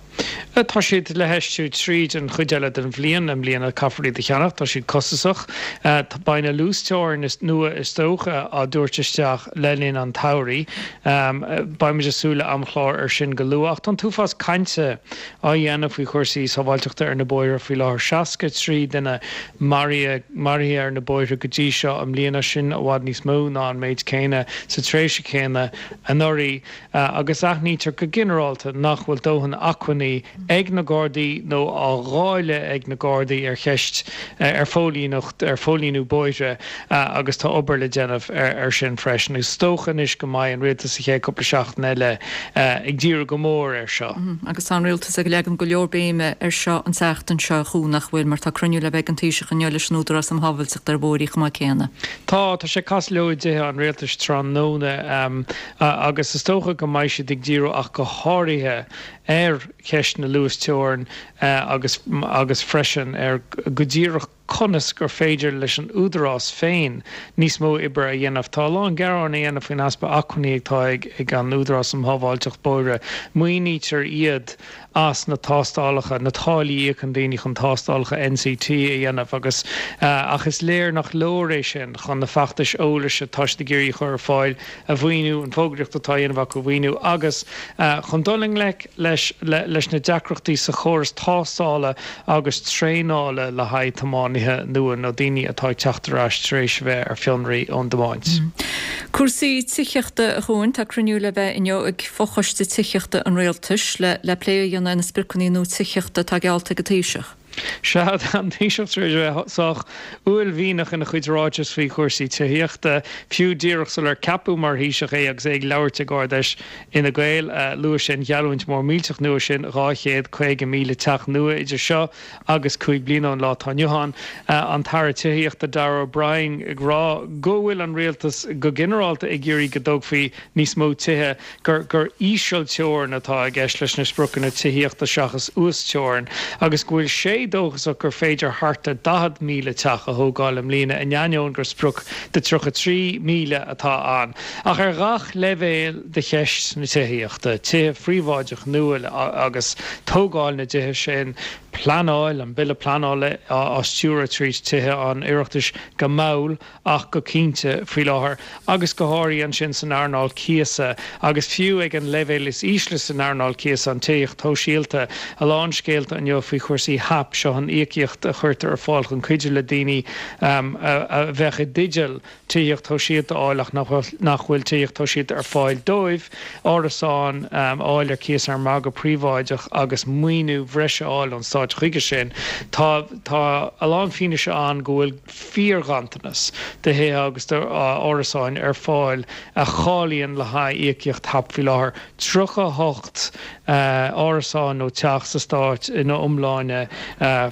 Tá siad le feistiú tríd an chuid eile den bhliain. I mbliana caithfear iad a cheannach, tá siad costasach. Beidh na luasteorainn nua is dócha á dtabhairt isteach le linn an tsamhraidh. Beidh muid ag súil le amchlár ar sin go luath. Ach tá an t-uafás cainte á dhéanamh faoi chúrsaí sábháilteachta ar na bóithre faoi láthair. 63 duine maraithe ar na bóithre go dtí seo i mbliana, sin i bhfad níos mó ná an méid céanna sa tréimhse chéanna anuraidh. agus aithnítear go ginearálta nach bhfuil dóthain acmhainní ag na Gardaí nó á dháileadh ag na Gardaí ar cheist ar phóilíneacht, ar phóilíniú bóithre agus tá obair le déanamh ar sin freisin. Is dócha anois go mbeidh an Rialtas sa chéad cúpla seachtain eile ag díriú go mór air seo. Agus tá an Rialtas ag leagan go leor béime air seo an tseachtain seo, a Chú, nach bhfuil, mar tá cruinniú le bheith ag an Taoiseach inniu leis an Údarás um Shábháilteacht ar Bhóithre chomh maith céanna. Tá, tá sé ag casadh leo i dTithe an Rialtais tráthnóna. Agus is dócha go mbeidh siad ag díriú ach go háirithe ar cheist na luasteorann agus agus freisin ar go díreach. conas gur féidir leis an Údarás féin níos mó oibre a dhéanamh. Tá a lán gearán á dhéanamh faoin easpa acmhainní atá ag an Údarás um Shábháilteacht Bóithre. Maoinítear iad as na tástálacha, na táillí a íocann daoine chun tástálacha NCT a dhéanamh agus ach is léir nach leor é sin chun na feachtais eolais atá siad ag iarraidh a chur ar fáil a mhaoiniú, an fógraíocht atá á dhéanamh acu a mhaoiniú agus chun dul i ngleic leis leis na deacrachtaí sa chóras tástála agus traenála le haghaidh tiománaithe nua nó daoine atá ag teacht ar ais tar éis a bheith ar fionraí ón dtiomáint. Cúrsaí tithíochta a Chuain, tá cruinniú le bheith inniu ag Fochoiste Tithíochta an Rialtais le le plé a dhéanamh ar na spriocanna nua tithíochta atá geallta ag an Taoiseach. Sea, tá an Taoiseach tar éis a bheith sách uaillmhianach ina chuid ráiteas faoi chúrsaí tithíochta, fiú díreach sular ceapadh mar Thaoiseach é agus é ag labhairt ag Ard-Fheis Fhine Gael. Luaigh sé an gheallúint mhór millteach nua sin, 250,000 teach nua idir seo agus 5 bliana ón lá atá inniu ann. An tAire Tithíochta Darragh O'Brien ag rá go bhfuil an rialtas go ginearálta ag iarraidh go dtógfaí níos mó tithe, gur gur ísealteorainn atá i gceist leis na spriocanna tithíochta seachas uasteorainn, agus go bhfuil sé dóchasach gur féidir thart ar 40,000 teach a thógáil i mbliana, in ainneoin gur sprioc de 33,000 atá ann. Ach ar ghach leibhéal de cheist na tithíochta, tithe phríobháideach nua agus tógáil na dtithe sin, pleanáil, an Bille Pleanála á stiúradh tríd Tithe an Oireachtais go mall, ach go cinnte faoi láthair, agus go háirithe ansin san earnáil cíosa, agus fiú ag an leibhéal is ísle san earnáil cíosa, an tithíocht shóisialta. A lán scéalta inniu faoi chúrsaí HAP, seo an íocaíocht a chuirtear ar fáil chun cuidiú le daoine a bheadh i dteideal tithíocht shóisialta a fháil ach nach bhfuil tithíocht shóisialta ar fáil dóibh, árasáin a fháil ar cíos ar an margadh príobháideach agus maoiniú bhreise a fháil ón Stát chuige sin. Tá tá a lán fianaise ann go bhfuil. fíorghanntanas de thithe agus d'árasáin ar fáil a cháilíonn le haghaidh íocaíocht hap faoi láthair. 38 árasán nó teach sa stát ina iomláine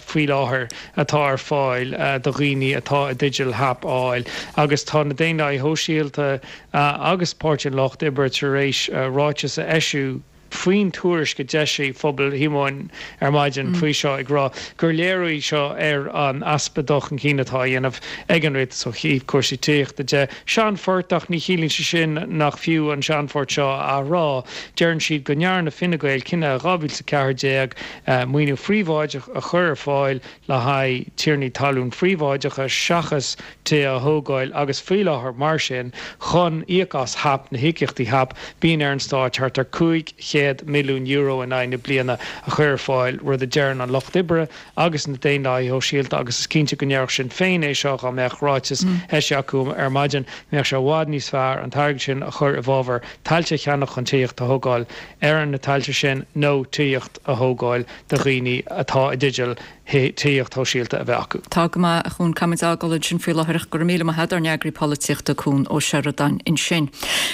faoi láthair atá ar fáil do dhaoine atá i dteideal hap a fháil agus tá na Daonlathaithe Shóisialta agus Páirtí an Lucht Oibre tar éis ráiteas a eisiú faoin tuairisc a d'eisigh Pobal Shíomóin ar maidin faoi seo ag rá gur léiriú í seo ar an easpa dul chun cinn atá á dhéanamh ag an rialtas ó thaobh cúrsaí tithíochta de. Seanphort ach ní chiallaíonn sé sin nach fiú an seanphort seo a athrá. Deireann siad go ndearna Fine Gael cinneadh i 2014 maoiniú phríobháideach a chur ar fáil le haghaidh tiarnaí talún phríobháideacha seachas tithe a thógáil agus faoi láthair mar sin chun íoc as hap, na híocaíochtaí hap, bíonn ar an stáit thart ar €500 milliún in aghaidh na bliana a chur ar fáil, rud a deireann an Lucht Oibre agus na Daonlathaithe Shóisialta agus is cinnte go ndéarfadh Sinn Féin é seo dá mbeadh ráiteas eisithe acu ar maidin, mbeadh sé i bhfad níos fearr an t-airgead sin a chur i bhfabhar tailte a cheannach chun tithíocht a thógáil ar na tailte sin nó tithíocht a thógáil do dhaoine atá i dteideal tithíocht shóisialta a bheith acu. Tá go maith, a Chuan. Caithfimid a fhágáil ansin faoi láthair ach go raibh míle maith agat, ár n-eagraí polaitíochta, Cuan Ó Seireadáin ansin.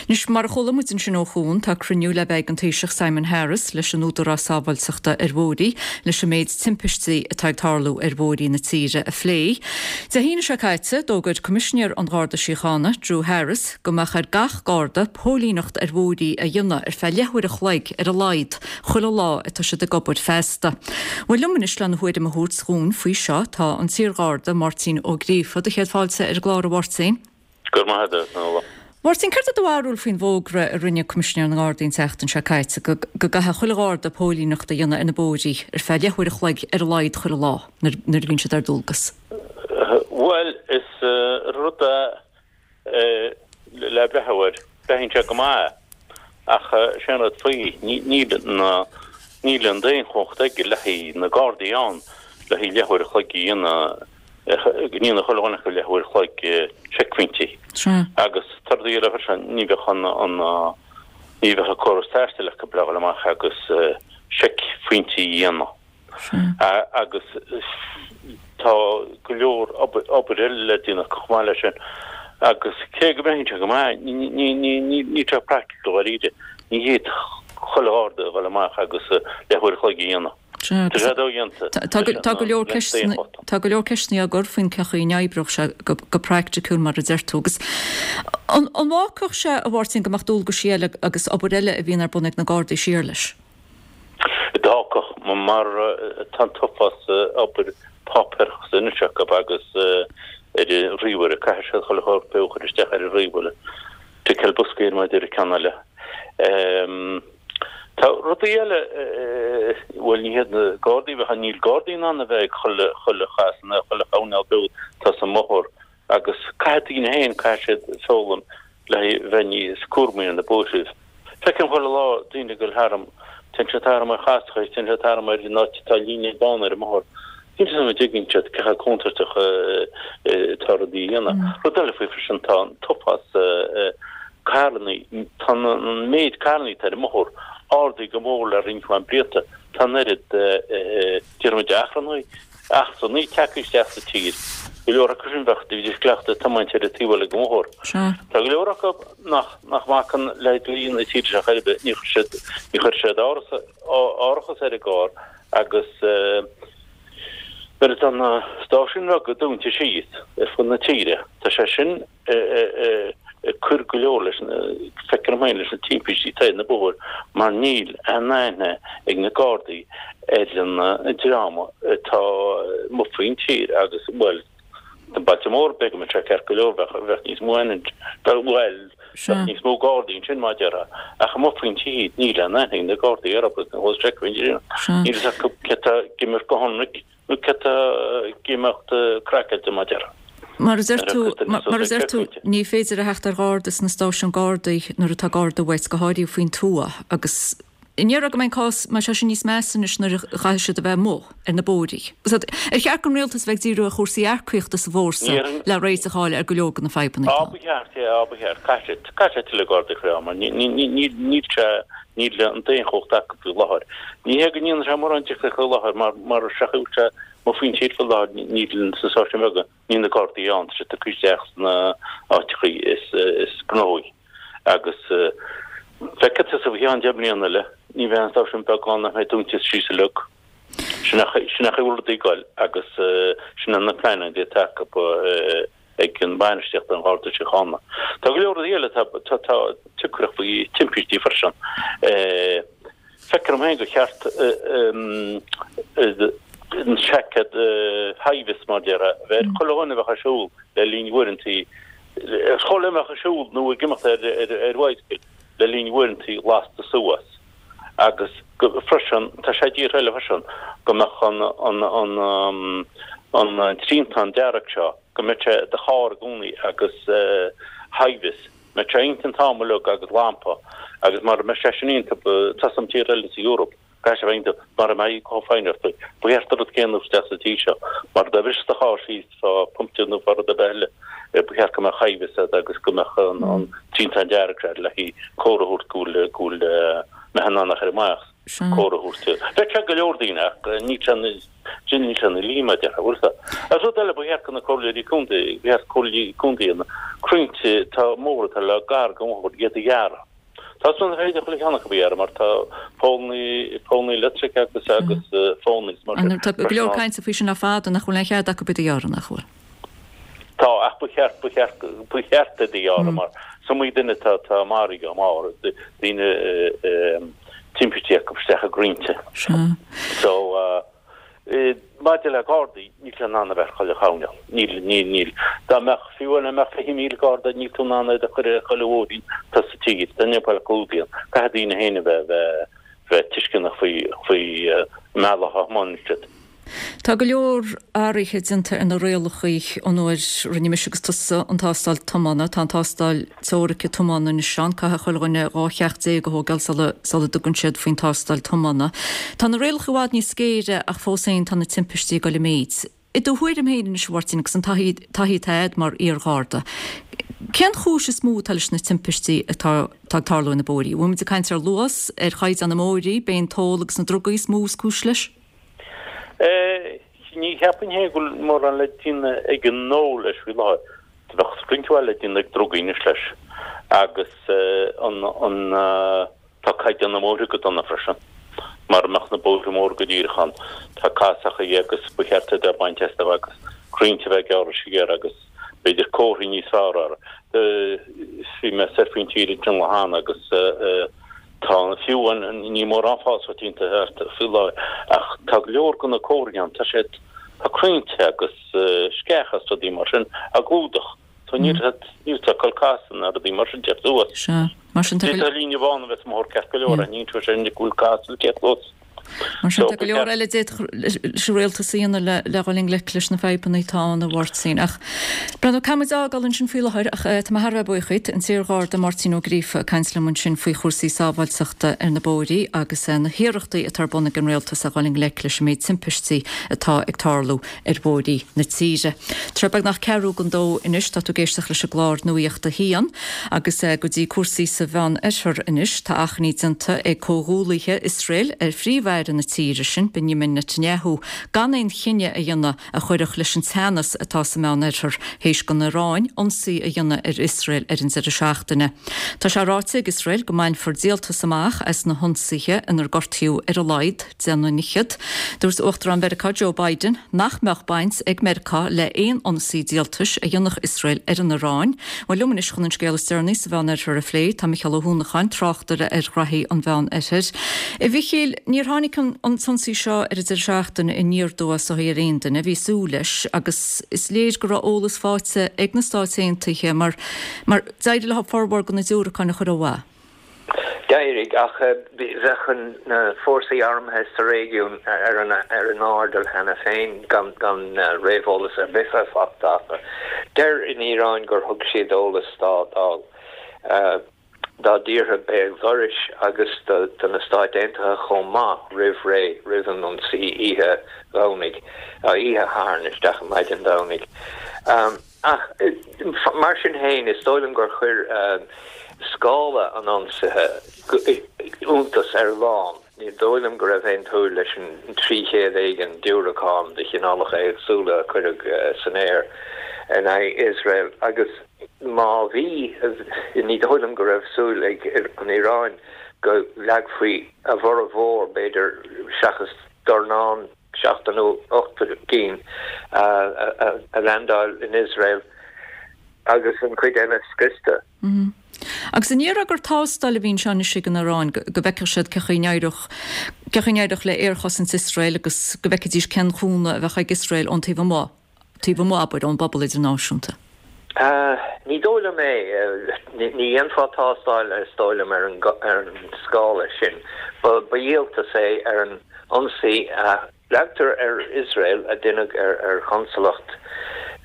Anois, mar a chuala muid ansin ó Chuan, tá cruinniú le bheith ag an Taoiseach Simon Harris leis an Údarás Sábháilteachta ar Bhóithre leis an méid timpistí atá ag tarlú ar bhóithrí na tíre a phlé. Dé hAoine seo caite, d'fhógair Coimisinéir an Gharda Síochána, Drew Harris, go mbeadh ar gach Garda póilíneacht ar bhóithrí a dhéanamh ar feadh leathuair a chloig ar a laghad chuile lá atá siad ag obair feasta. Bhuel liom anois lena thuairim a thabhairt dhúinn faoi seo tá an t-iarGharda Máirtín Ó Gríofa. Do chéad fáilte ar an gclár a Mháirtín. Go raibh maith agat, a Nuala. Mháirtín, céard é do bharúil faoin bhfógra a rinne Coimisinéir na nGardaí an tseachtain seo caite go go gcaithfidh chuile Gharda póilíneacht a dhéanamh ar na bóithrí ar feadh leathuair a chloig ar a laghad chuile lá nuair a bhíonn siad ar dualgas? Bhuel, is rud é le breathnú air. Breathnaíonn sé go maith ach sé an rud faoi, níl na, níl an daonchumhacht aige le haghaidh na Gardaí ann le haghaidh leathuair a chloig a dhéanamh, go ndéanfadh chuile dhuine acu leathuair a chloig seicphointí. Agus tá rudaí eile freisin, ní bheadh an, an, ní bheadh an córas taistil acu le dhul amach agus seicphointí a dhéanamh. Agus tá go leor obair eile le déanamh acu chomh maith leis sin. Agus cé go mbreathnaíonn sé go maith, níl sé praiticiúil dháiríre. Ní fhéadfadh chuile Gharda a dhul amach agus leathuair a chloig a dhéanamh. Tá sé dodhéanta. Tá go leor ceisteanna tá go leor ceisteanna á gcur faoin cén chaoi a n-oibreodh sé go praiticiúil mar a deir tú. Agus an bhfágfadh sé, a Mháirtín, go mbeadh dualgaisí eile agus obair eile a bhíonn ar bun ag na Gardaí siar leis? D'fhágfadh, mar tá an t-uafás obair páipéarachas anois acu. acu agus ar an ríomhaire, caithfidh siad chuile shórt a chur isteach ar an ríomhaire, ticeáil boscaí ar mar a deir an ceann eile. Tá rudaí eile, bhuel ní hiad na Gardaí a bheadh, níl Gardaí in ann a bheith ag chuile, chuile chasadh nó chuile choirnéal beag atá sa mbóthar agus caithfidh daoine féin, caithfidh siad foghlaim le bheith níos cúramaí ar na bóithre. Feicim chuile lá daoine ag dul tharam, téann siad tharam ar chastacha, téann siad tharam ar an áit atá líne bán ar an mbóthar. Níl fhios agam an dtuigeann siad cé chomh contúirteach atá rudaí a dhéanamh. Rud eile faoi freisin, tá an t-uafás carrannaí, tá an méid carrannaí atá ar an mbóthar ardaithe go mór le roinnt mhaith blianta. Tá an oiread, déarfaimid, achrannaigh, eachtrannaigh tagtha isteach sa tír. Go leor acu sin bheadh, bhídís cleachta ag tiomáint ar an taobh eile den bhóthar. Tá go leor acu nach, nach mbacann le dlí na tíre seo ar bith, ní chuir siad, ní chuir siad árachas ar an gcarr agus nuair atá na stáisiúin bheaga dúnta síos ar fud na tíre, tá sé sin ag cur go leor leis na, feictear dom féin, leis na timpistí atá ar na bóithre mar níl aon aithne ag na Gardaí ar an dream atá amuigh faoin tír agus, bhuel, Na bailte móra, b'fhéidir go mbeadh sé ceart go leor, bheadh níos mó aithne, bhuel, bheadh níos mó Gardaí ansin mar a déarfá, ach amuigh faoin tír níl aon aithne ag na Gardaí orthu agus ní fheiceann níl fhios acu cé atá ag imeacht go hionraic nó cé atá ag imeacht craiceáilte mar a déarfá. Mar a deir tú, mar a deir tú, ní féidir a theacht ar Gharda sna stáisiúin Gardaí nuair atá Garda uait, go háirithe faoin tuath agus An ndéarfá go mbeidh an cás mar seo sin níos measa anois nuair a chaithfidh siad a bheith amuigh ar na bóithrí? Ar cheart don rialtas bheith ag díriú ar chúrsaí earcaíochta sa bhfórsa le réiteach a fháil ar go leor de na fadhbanna atá ann? Á, ba cheart, yeah, á, ba cheart. Caithfidh siad, caithfidh siad tuilleadh Gardaí a chur ann mar níl, níl sé, níl an daonchumhacht acu faoi láthair. Ní hé go ndéanann sé mórán difríocht faoi láthair mar, mar sa chaoi atá sé amuigh faoin tír faoi láthair, níl sna stáisiúin bheaga, níl na Gardaí ann, tá siad tugtha isteach sna áiteachaí is, is gnóthaí. Agus feicfidh tusa faoi cheann 10 mbliana eile, ní bheidh an stáisiún beag ann nach mbeidh dúnta síos uilig. Sin é an chaoi a bhfuil rudaí ag goil agus sin na pleananna atá acu ag an bhainistíocht an Gharda Síochána. Tá go leor rudaí eile atá tioncharach faoi timpistí freisin. Feictear dom féin gur cheart an seaicéad hi-vis mar a déarfá a bheith ar chuile dhuine a bheadh ag siúl le linn uaireantaí chuile dhuine a bheadh ag siúl nó ag imeacht ar bhicycle le linn uaireantaí lasta suas agus freisin tá sé i dtíortha eile freisin go mbeadh an triantán dearg seo go mbeadh sé i do charr i gcónaí agus hi-vis mbeadh sé iontu an t-am uilig agus lampa agus mara mbeadh sé sin iontu tá san tír eile sa Eoraip caithfidh sé bheith iontu mara mbeidh chomh foighneach ba cheart an rud céanna isteach sa tír seo mar dá bhrisfeadh do charr síos fá puncture nó fá rud ar bith eile ba cheart go mbeadh hi-vis agat agus go mbeadh an triantán dearg seo le haghaidh comhartha a thabhairt go bhfuil go bhfuil mbeadh in ann a chur amach comhartha a thabhairt bheadh sé go leor daoine ach níl sé Sin níl sé ina lí mar a déarfá, bhfuil fhios agat. Agus rud eile, ba cheart do na comhairleoirí contae, ba cheart comhairleoirí contae na crainnte atá móra atá le gar don bhóthar, iad a ghearradh. Tá san féidir chuile cheann acu a ghearradh mar tá polannaí, polannaí leictrice agus agus fónaí is mar sin. Tá go leor cainte faoi sin le fada nach bhfuil aon chead acu iad a ghearradh, nach bhfuil? Tá, ach ba cheart, ba cheart, ba cheart iad a ghearradh mar is iomaí duine atá, atá maraithe dá mbarr, daoine timpistí acu isteach i gcrainnte. Sea. So, maidir le Gardaí, níl tú in ann a bheith ar chuile choirnéal. Níl, níl, níl. Dá mbeadh, fiú amháin dá mbeadh 20,000 Garda, níl tú in ann iad a chur ar chuile bhóithrín atá sa tír. Tá ní bheadh clúdaíonn. Caithfidh daoine féin a bheith, bheith, bheith tuisceanach faoi, faoi an mbealach a thiomáineann siad. Tá go leor athruithe déanta ar na rialacha ón uair a rinne mise agus tusa an tástáil tiomána. Tá an tástáil teoirice tiomána anois ann. Caithfidh chuile dhuine 12 cheacht a thógáil sula sula dtugann siad faoin tástáil tiomána. Tá na rialacha i bhfad níos géire ach fós féin tá na timpistí ag dul i méid. I do thuairim féin anois a Mháirtín agus an taithí taithí atá agat mar iar-Gharda, cén chúis is mó atá leis na timpistí atá atá ag tarlú ar na bóithrí? Bhfuil muid ag caint ar luas, ar chaighdeán na mbóithrí, b'é an t-ól agus na drugaí is mó is cúis leis? Ní cheapainn féin go bhfuil mórán le déanamh ag an ól leis faoi láthair. Bheadh roinnt mhaith le déanamh ag drugaí anois leis. Agus an, an, tá caighdeán na mbóithre go dona freisin. Mara mbeadh na bóithre móra go díreach ann, tá casachaí agus ba cheart iad a bhaint astu agus crainnte a bheith gearrtha siar agus b'fhéidir comharthaí níos fearr orthu. Bhí mé soir faoin tír ansin lá cheana agus tá, fiú amháin, níl mórán fásach déanta thart faoi láthair ach tá go leor de na comharthaí ann, tá siad. Tá crainnte agus sceacha is rudaí mar sin á gclúdach. So níl níl tú ag dul casadh ná rudaí mar sin teacht suas. Sea. Mar sin tá go. D'fhéadfadh líne bhán a bheith sa mbóthar ceart go leor, aithníonn tú sin go bhfuil casadh le teacht suas. Mar sin tá go leor eile a d'fhéadfadh leis an rialtas a dhéanamh le le dhul i ngleic leis na fadhbanna atá ann a Mháirtín. Ach breathnú, caithfidh muid fhágáil ansin faoi láthair ach tá mé thar a bheith buíoch díot, an t-iar-Gharda Máirtín Ó Gríofa ag caint liom ansin faoi chúrsaí sábháilteachta ar na bóithrí agus na hiarrachtaí atá ar bun ag an rialtas a dhul i ngleic leis an méid timpistí atá ag tarlú ar bhóithrí na tíre. Tá sé beagnach ceathrú don dó anois, tá tú ag éisteacht leis an gclár Nuacht a hAon agus go dtí cúrsaí sa Mheán Oirthear anois. Tá achainí déanta ag comhghuallaithe Iosrael ar Phríomh-Aire na tíre sin, Benjamin Netanyahu, gan aon chinneadh a dhéanamh a chuirfeadh leis an teannas atá sa Meán Oirthear théis don Iaráin ionsaí a dhéanamh ar Iosrael ar an deireadh seachtaine. Tá sé ráite ag Iosrael go mbainfear díoltas amach as na hionsaithe inar gortaíodh ar a laghad 10 nduine fhichead. Dúirt Uachtarán Mheiriceá Joe Biden nach mbeadh baint ag Meiriceá le haon ionsaí díoltais a dhéanfadh Iosrael ar an Iaráin. Bhuel, liom anois chun an scéal is deireanaí sa Mheán Oirthear a phlé, tá Micheál Ó hUanacháin, tráchtaire ar ghraithí an Mheán Oirthir. A Mhichíl, níor tháinig an t-ionsaí seo ar an deireadh seachtaine aniar aduaidh is dóigh ar aon duine, bhí súil leis agus is léir go raibh eolas faighte ag na Stáit Aontaithe mar mar d'éirigh leo formhór de na diúracáin a chur ó mhaith. D'éirigh, ach bheadh na fórsaí armtha sa réigiún ar an airdeall cheana féin gan réamheolas ar bith bheith faighte acu. Deir an Iaráin gur thug siad eolas dá dtíortha béal dorais agus do na Stáit Aontaithe chomh maith roimh ré, roimh an ionsaí oíche Dhomhnaigh, oíche Shathairn isteach i maidin Domhnaigh. Ach mar sin féin, is dóigh liom gur chuir scála an ionsaithe iontas ar a lán. Ní dóigh liom go raibh aon tsúil leis an 300 éigin diúracán de chineálacha éagsúla a cuireadh san aer in aghaidh Iosrael agus má bhí, ní dóigh liom go raibh súil ag an Iaráin go leagfaí a bhformhór, b'fhéidir, seachas dornán. 7 nó 8 gcinn a leaindeáil in Iosrael agus an chuid eile scriosta. Agus an ndéarfá gur tástáil a bhí anseo anois ag an Iaráin go bhfeicfeadh siad cén chaoi a n-éireodh cén chaoi a n-éireodh le aerchosaint Iosrael agus go bhfeicfidís cén cúnamh a bheadh ag Iosrael ón taobh amuigh, taobh amuigh, abair, ón bpobal idirnáisiúnta? Ní dóigh liom é. Ní dhéanfá tástáil, is dóigh liom, ar an scála sin. Ba dhíoltas é ar an ionsaí a leagtar ar Iosrael a deineadh ar chonsalacht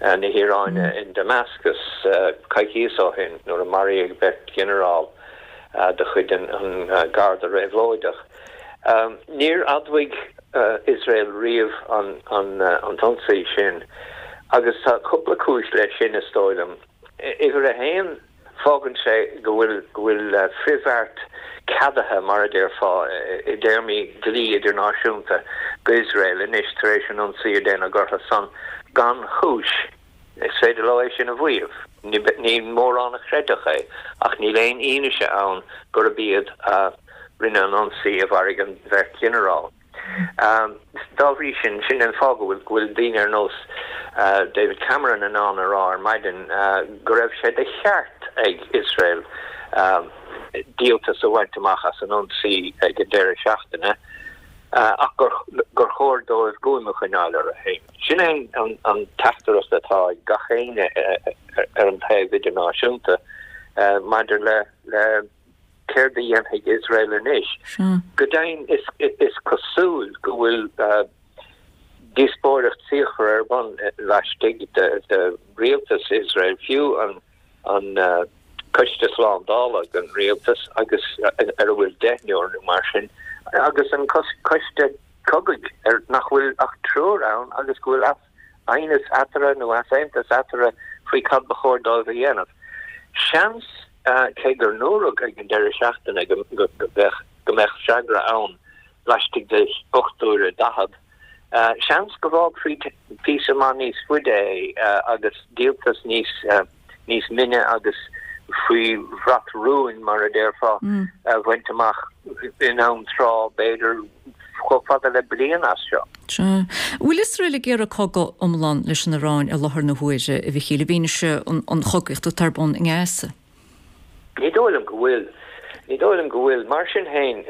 na hIaráine in Damascus coicíos ó shin nuair a maraíodh beirt ghinearál de chuid an Gharda Réabhlóideach. Níor admhaigh Iosrael riamh an t-ionsaí sin agus tá cúpla cúis leis sin, is dóigh liom. Uimhir a haon, fágann sé go bhfuil go bhfuil frithbheart ceadaithe, mar a déarfá, i dtéarmaí dlí idirnáisiúnta go Iosrael anois tar éis an ionsaí a déanadh orthu san gan chúis. Is féidir leo é sin a mhaíomh. Ní mórán a chreidfeadh é, ach níl aon fhianaise ann gurb iad a rinne an ionsaí a mharaigh an bheirt ghinearál. Dá bhrí sin, sin an fáth go bhfuil go bhfuil daoine ar nós David Cameron in ann a rá ar maidin go raibh sé de cheart ag Iosrael díoltas a bhaint amach as an ionsaí ag an deireadh seachtaine ach gur chóir dóibh guaim a choinneáil orthu féin. Sin é an teachtaireacht atá ag gach éinne ar an taobh idirnáisiúnta maidir le céard a dhéanfaidh Iosrael anois. Go deimhin, is cosúil go bhfuil díospóireacht fíochmhar ar bun laistigh de rialtas Iosrael, fiú an Coiste Slándála den rialtas agus ar a bhfuil deichniúr nó mar sin, agus an Coiste Cogaidh ar nach bhfuil ach triúr ann agus go bhfuil aighneas eatarthu nó easaontas eatarthu faoi cad ba chóir dóibh a dhéanamh. Seans, cé gur ndúradh ag an deireadh seachtaine go go mbeadh freagra ann laistigh de 8 uaire 40, seans go bhfágfaí píosa maith níos faide é agus díoltas níos níos mine agus faoi bhrat rúin, mar a déarfá, a bhaint amach in am tráth, b'fhéidir chomh fada le bliain as seo. Sea. An bhfuil Iosrael ag iarraidh cogadh iomlán leis an Iaráin i láthair na huaire, a Mhichíl, i bhfianaise an chogaíocht atá ar bun i nGaza? Ní dóigh liom go bhfuil. Ní dóigh liom go bhfuil. Mar sin féin,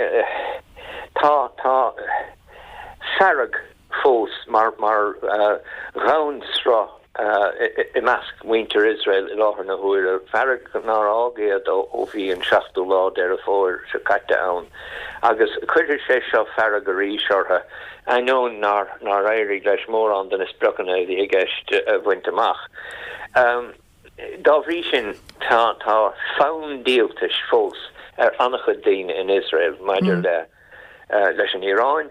tá, tá fearg. fós mar dhomhainshruth i measc mhuintir Iosrael i láthair na huaire, fearg nár fhág iad ó bhí an seachtú lá Deireadh Fómhair seo caite ann. Agus cuirfidh sé seo fearg arís orthu, ainneoin nár éirigh leis mórán de na spriocanna a bhí i gceist a bhaint amach. Dá bhrí sin, tá fonn díoltais fós ar an-chuid daoine in Iosrael maidir le leis an Iaráin.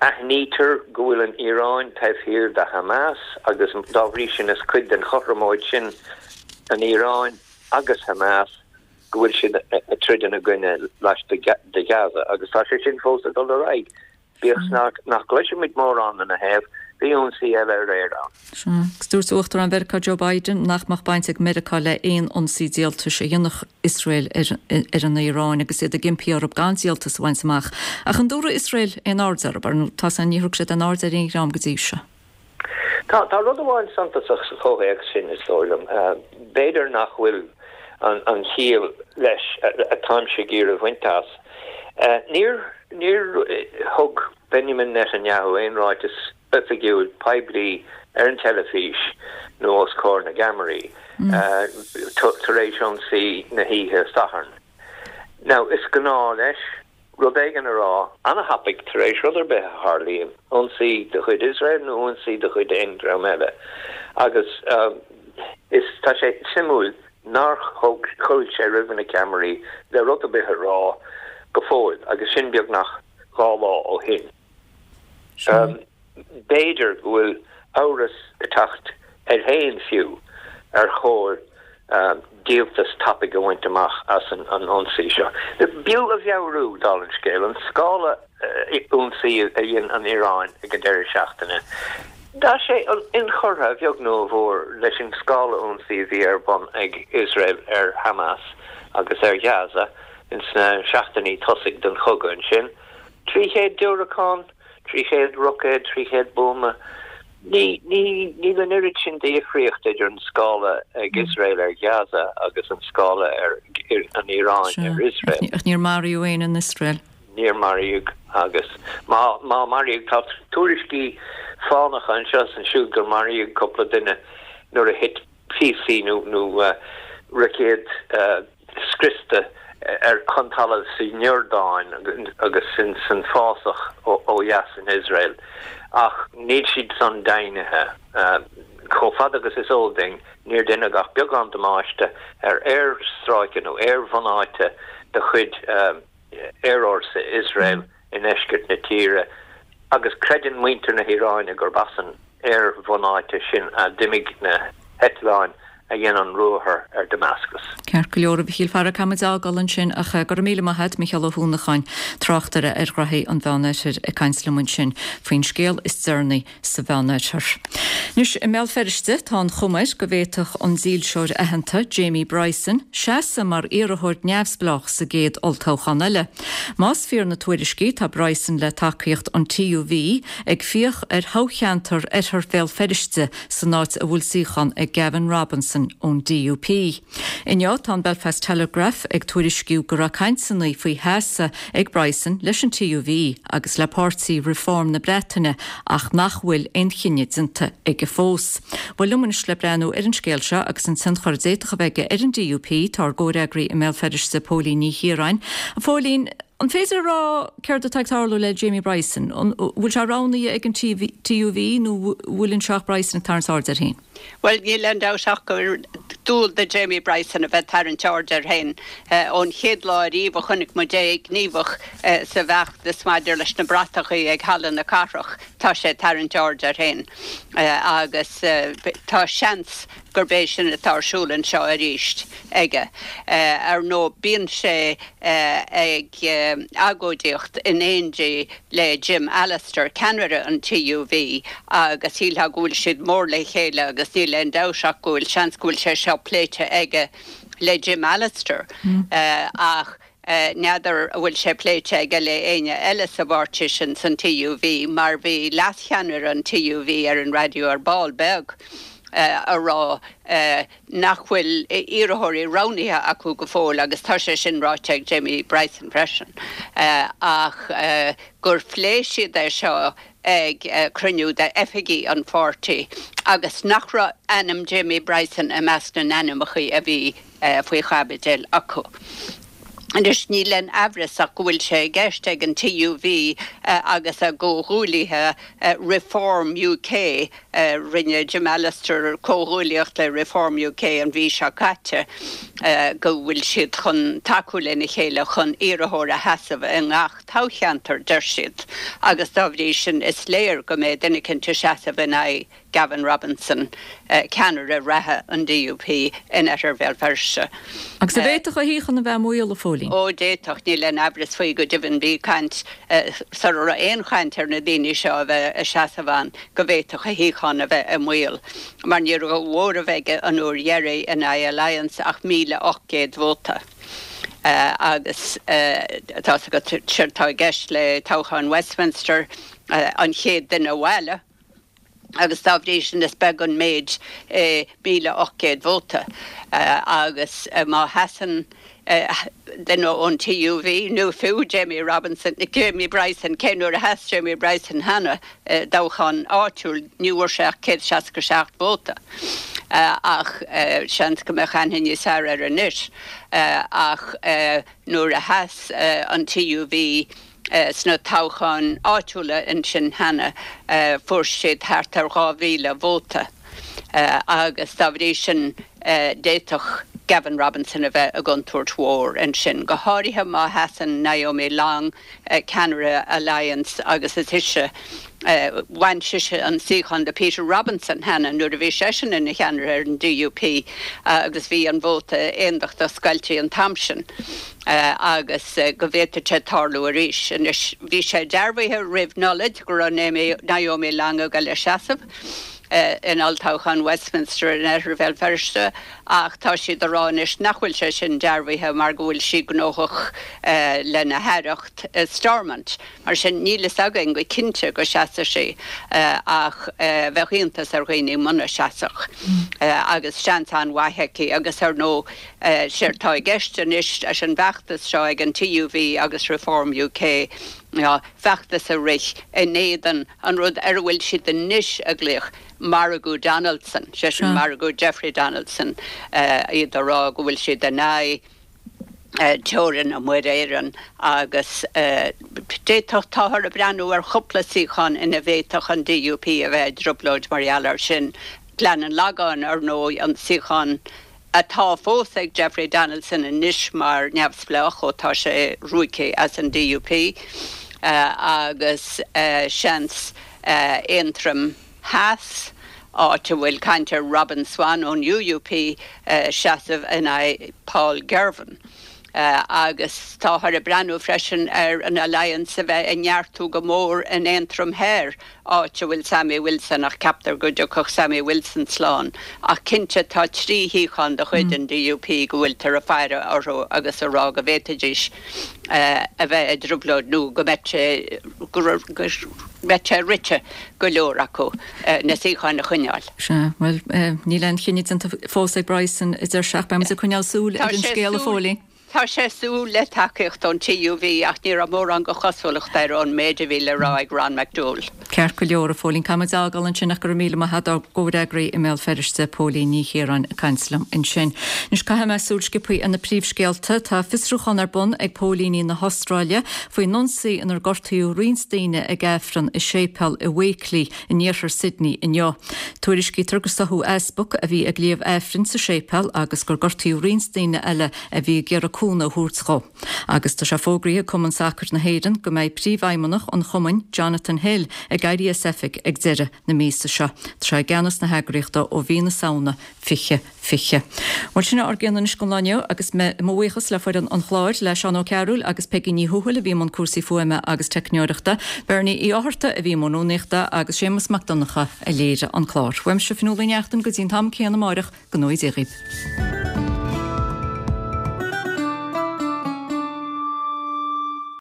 Aithnítear go bhfuil an Iaráin taobh thiar de Hamas agus dá bhrí sin is cuid den chothromóid sin an Iaráin agus Hamas go bhfuil siad ag troid ina gcoinne laistigh de Ghaza agus tá sé sin fós ag dul ar aghaidh. Bíodh 's nach gcloisimid mórán ina thaobh, bhí ionsaí eile aréir ann. Sea, agus dúirt Uachtarán Mheiriceá Joe Biden nach mbeadh baint ag Meiriceá le haon ionsaí díoltais a dhéanfadh Iosrael ar an Iaráin agus iad ag impí orthu gan díoltas a bhaint amach. Ach an dtabharfaidh Iosrael aon aird orthu? Ar ndóigh, tá san, níor thug siad aon aird ar aon dhream go dtí seo. Tá, tá rud amháin suntasach sa chomhthéacs sin, is dóigh liom. B'fhéidir nach bhfuil an chiall leis atáimse ag iarraidh a bhaint as. Níor, níor thug Benjamin Netanyahu aon ráiteas oifigiúil poiblí ar an teilifís nó os comhair na gceamaraí tar éis ionsaí na hoíche Sathairn. Now, is gnáth leis rud éigin a rá ana-thapaidh tar éis rud ar bith a tharlaíonn, ionsaí de chuid Iosrael nó ionsaí de chuid aon dream eile. Agus is, tá sé suimiúil nár chuaigh sé roimh na ceamaraí le rud ar bith a rá go fóill, agus sin beagnach 2 lá ó shin. B'fhéidir go bhfuil amhras ag teacht air féin fiú ar chóir díoltas tapaidh a bhaint amach as an ionsaí seo. B'fhiú a mheabhrú, dála an scéil, an scála ionsaí a dhein an Iaráin ag an deireadh seachtaine. Tá sé inchurtha, a bheag nó a mhór, leis an scála ionsaí a bhí ar bun ag Iosrael ar Hamas agus ar Ghaza ins na seachtainí tosaigh den chogadh ansin. 300 diúracán, 300 roicéad, 300 buama. Ní, ní, níl an oiread sin de dhifríocht idir an scála ag Iosrael ar Ghaza agus an scála ar an Iaráin ar Iosrael. Ach níor maraíodh éinne in Iosrael. Níor maraíodh agus má, má maraíodh, tá tuairiscí fánacha anseo is ansiúd gur maraíodh cúpla duine nuair a thit píosaí nó, nó roicéad scriosta ar chun talaimh sa Iordáin agus san fásach ó dheas in Iosrael, ach níl siad san deimhnithe. Chomh fada agus is eol duinn, níor deineadh ach beagán damáiste ar aerstráice nó aerbhunáite de chuid aerfhórsa Iosrael i ndeisceart na tíre agus creideann muintir na hIaráine gurb as an aerbhunáite sin a d'imigh na heitleáin a dhein an ruathar ar Damascus. Ceart go leor, a Mhichíl, fara, caithfimid a fhágáil ansin ach go raibh míle maith a't, Micheál Ó hUanacháin, tráchtaire ar ghraithí an Mheánoirthir ag caint liom ansin faoin scéal is deireanaí sa Mheánoirthear. Anois, i mBéal Feirste, tá an chuma air go bhféadfadh an dílseoir aitheanta, Jamie Bryson, seasamh mar iarrthóir neamhspleách sa gcéad olltoghchán eile. Más fíor na tuairiscí, tá Bryson le tacaíocht an TUV ag fiach ar thoghcheantar Oirthear Bhéal Feirste san áit a bhfuil suíochán ag Gavin Robinson ón DUP. Inniu, tá an Belfast Telegraph ag tuairisciú go raibh cainteanna faoi sheasamh ag Bryson leis an TUV agus le páirtí Reform na Breataine ach nach bhfuil aon chinneadh déanta aige fós. Bhuel, liom anois le breathnú ar an scéal seo agus an tionchar a d'fhéadfadh a bheith aige ar an DUP, tá ár gcomhfhreagraí i mBéal Feirste, Póilín Ní Chiaráin. A Phóilín, an féidir a rá céard atá ag tarlú le Jamie Bryson? An bhfuil sé roghnaithe ag an TUV nó bhfuil anseo ach Bryson ag tarraingt aird air féin? Bhuel, níl aon dabht ach gur dual do Jamie Bryson a bheith ag tarraingt aird air féin. Ón chéad lá ariamh a chonaic muid é gníomhach sa bhfeachtas maidir leis na bratachaí ag Halla na Cathrach, tá sé ag tarraingt aird air féin. Agus tá seans gurb é sin atá ar siúl anseo arís aige. Ar ndóigh, bíonn sé ag agóidíocht in éindí le Jim Allister, ceannaire an TUV, agus shílfeá go bhfuil siad mór le chéile agus níl aon dabht ach go bhfuil seans go bhfuil sé seo pléite aige le Jim Allister ach n'fheadar an bhfuil sé pléite aige le éinne eile sa bpáirtí sin, san TUV, mar bhí leascheannaire an TUV ar an raidió ar ball beag a rá nach bhfuil iarrthóirí roghnaithe acu go fóill agus tá sé sin ráite ag Jamie Bryson freisin, ach gur phléigh siad é seo. ag cruinniú d'oifigigh an pháirtí agus nach raibh ainm Jamie Bryson i measc na n-ainmneacha a bhí faoi chaibidil acu. Anois, níl aon aimhreas ach go bhfuil sé i gceist ag an TUV agus a gcomhghuaillithe Reform UK, rinne Jim Allister comhghuaillíocht le Reform UK an mhí seo caite, go bhfuil siad chun tacú lena chéile chun iarrthóir a sheasamh i ngach toghcheantar, deir siad, agus dá bhrí sin is léir go mbeidh duine eicint ag seasamh in aghaidh Gavin Robinson, ceannaire reatha an DUP in Oirthear Bhéal Feirste. Agus an bhféadfadh a shuíochán a bheith i mbaol, a Phóilín? Ó, d'fhéadfadh, níl aon aimhreas faoi, go deimhin bhí caint, sara raibh aon chaint ar na daoine seo a bheith ag seasamh ann, go bhféadfadh a shuíochán a bheith i mbaol, mar ní raibh de mhóramh aige an uair dheiridh in aghaidh Alliance ach 1,800 vóta. Agus tá's agat, séard atá i gceist le toghchán Westminster, an chéad duine abhaile, agus dá bhrí sin is beag an méid é 1,800 vóta agus má sheasann duine ón TUV nó fiú Jamie Robinson, Jamie Bryson, cé nuair a sheas Jamie Bryson cheana i dtoghchán áitiúil ní bhfuair sé ach 167 vóta ach seans go mbeadh aithne níos fearr air anois ach nuair a sheas an TUV Sna toghcháin áitiúla ansin cheana fuair siad thart ar 2,000 vóta agus dá bhrí sin d'fhéadfadh Gavin Robinson a bheith i gcontúirt mhór ansin, go háirithe má sheasann Naomi Long, ceannaire Alliance agus is ise, bhain sise an suíochán de Peter Robinson cheana nuair a bhí seisean ina cheannaire ar an DUP agus bhí an vóta aondachtach scoilte an t-am sin. agus go bhféadfadh sé tarlú arís. Anois, bhí sé dearbhaithe roimh Nollaig go raibh Naomi Long ag dul a seasamh in olltoghchán Westminster in Oirthear Bhéal Feirste ach tá siad ag rá anois nach bhfuil sé sin dearbhaithe mar go bhfuil sí gnóthach lena haireacht i Stormont. Mar sin, níl fhios againn go cinnte go seasfaidh sí ach bheadh iontas ar dhaoine muna seasfadh agus seans an-mhaith aici agus ar ndóigh séard tá i gceist anois leis an bhfeachtas seo ag an TUV agus Reform UK ná feachtas a rith in éadan an rud ar a bhfuil siad anois ag glaoch margadh Donaldson, sé sin margadh Jeffrey Donaldson, iad ag rá go bhfuil siad in aghaidh teorainn Muir Éireann agus d'fhéadfadh, táthar ag breathnú ar chúpla suíochán ina bhféadfadh an DUP a bheith i dtrioblóid mar gheall air sin. Gleann an Lagáin, ar ndóigh, an suíochán atá fós ag Jeffrey Donaldson anois mar neamhspleách ó tá sé ruaigthe as an DUP, agus seans Aontroim Theas, áit a bhfuil caint ar Robin Swann ón UUP seasamh in aghaidh Paul Girvan. Agus táthar ag breathnú freisin ar an Alliance a bheith ag neartú go mór in Aontroim Thoir, áit a bhfuil Sammy Wilson ach ceaptar go dtiocfadh Sammy Wilson slán. Ach cinnte tá 3 shuíochán de chuid an DUP go bhfuiltear ag faire orthu agus ag rá go bhféadfaidís a bheith i dtrioblóid nó go mbeadh sé go mbeadh sé rite go leor acu na suíocháin a choinneáil. Sea, bhuel, níl aon chinneadh déanta fós ag Bryson, a deir sé, ach beidh muid ag coinneáil súil ar an scéal, a Phóilín. Tá sé ag súil le tacaíocht ón TUV ach ní raibh mórán de chosúlacht air ón méid a bhí le rá ag Ron McDowell. Ceart go leor, a Phóilín. Caithfidh muid a fhágáil ansin ach go raibh míle maith agat ár gcomhfhreagraí i mBéal Feirste, Póilín Ní Chiaráin ag caint liom ansin. Anois caithfidh mé súil sciobtha ar na príomhscéalta. Tá fiosrúchán ar bun ag póilíní na hAstráile faoin ionsaí inar gortaíodh roinnt daoine ag Aifreann i séipéal i Wakeley in iarthar Sydney inniu. Tuairiscítear gur stoitheadh easpag a bhí ag léamh Aifrinn sa séipéal agus gur gortaíodh roinnt daoine eile a bhí ag iarraidh cúnamh a thabhairt dhó. Agus tá sé fógraithe ag Cumann Sacair na hÉireann go mbeidh príomhfheidhmeannach an chumainn, Jonathan Hill, ag éirí as oifig ag deireadh na míosa seo. Tá sé i gceannas na heagraíochta ó mhí na Samhna 2020. Bhuel, sin é ár gcion anois don lá inniu agus mo bhuíochas le foireann an chláir, le Seán Ó Cearúil agus Peigí Ní Thuathail a bhí i mbun cúrsaí fuaime agus teicneoireachta, Bernie Uí Fhátharta a bhí i mbun rúnaíochta agus Séamus Mac Donncha a léirigh an clár. Uaimse Fionnuala Uí Neachtain go dtí an t-am céanna amáireach, go ngnóthaí Dia dhaoibh.